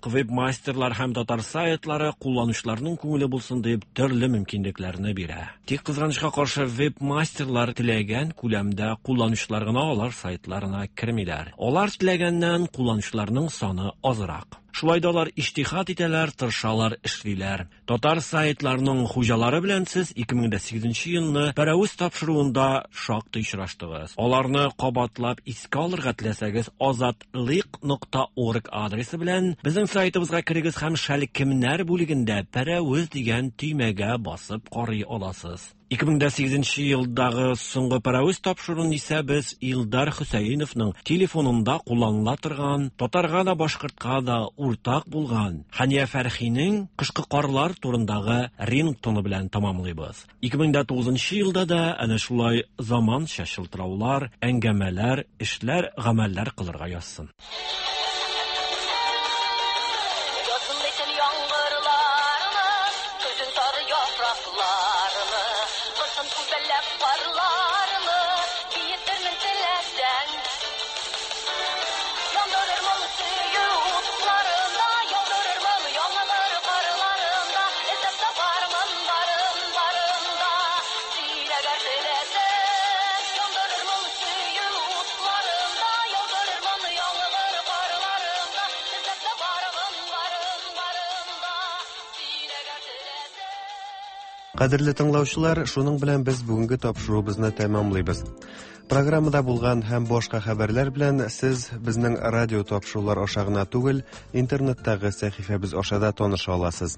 Веб-мастерлар һәм татар сайтлары кулланучыларның күңеле булсын дип төрле мөмкинлекләрне бирә. Тик кызганычка каршы веб-мастерлар теләгән күләмдә кулланучылар гына алар сайтларына кермиләр. Алар теләгәннән кулланучыларның саны азрак. Шулай да алар иҗтиһад итәләр, тырышалар, эшлиләр. Татар сайтларының хуҗалары белән сез 2008 елны Пәрәвез тапшыруында шактый очраштыгыз. Аларны кабатлап искә алырга теләсәгез, azatliq.org адресы белән безнең сайтыбызга керегез һәм шәлкемнәр бүлегендә Пәрәвез дигән төймәгә басып карый аласыз. 2008 елдагы соңгы Пәрәвез тапшыруын исә без Илдар Хөсәеновның телефонында кулланыла торган, татарга да башкортка да уртак булган Хәния Фәрхинең кышкы карлар турындагы рингтоны белән тәмамлыйбыз. 2009 елда да әнә шулай заманча шылтыраулар, әңгәмәләр, эшләр, гамәлләр кылырга язсын. Язын әйтен яңгырларны, көзен сары яфракларны, кышын күбәләк карларны, биетермен теләсәң. Яндырырмын сөю утларында, яудырырмын яңгыр карларында, эзләп табармын барын барында, син әгәр теләсәң. Яндырырмын сөю утларында, яудырырмын яңгыр карларында. Кадерле тыңлаучылар, шуның белән без бүгенге тапшыруыбызны тәмамлыйбыз. Программада булган һәм башка хәбәрләр белән сез безнең радио тапшырулар аша гына түгел, интернеттагы сәхифәбез аша да таныша аласыз.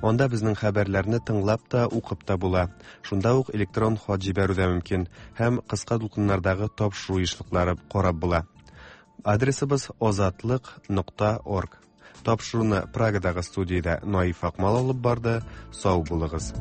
Анда безнең хәбәрләрне тыңлап та, укып та була. Шунда ук электрон хат җибәрү дә мөмкин һәм кыска дулкыннардагы тапшыру ешлыклары карап була. Адресыбыз озатлык.орг. Тапшыруны Прагадагы студиядә Наиф Акмал алып барды. Сау булыгыз.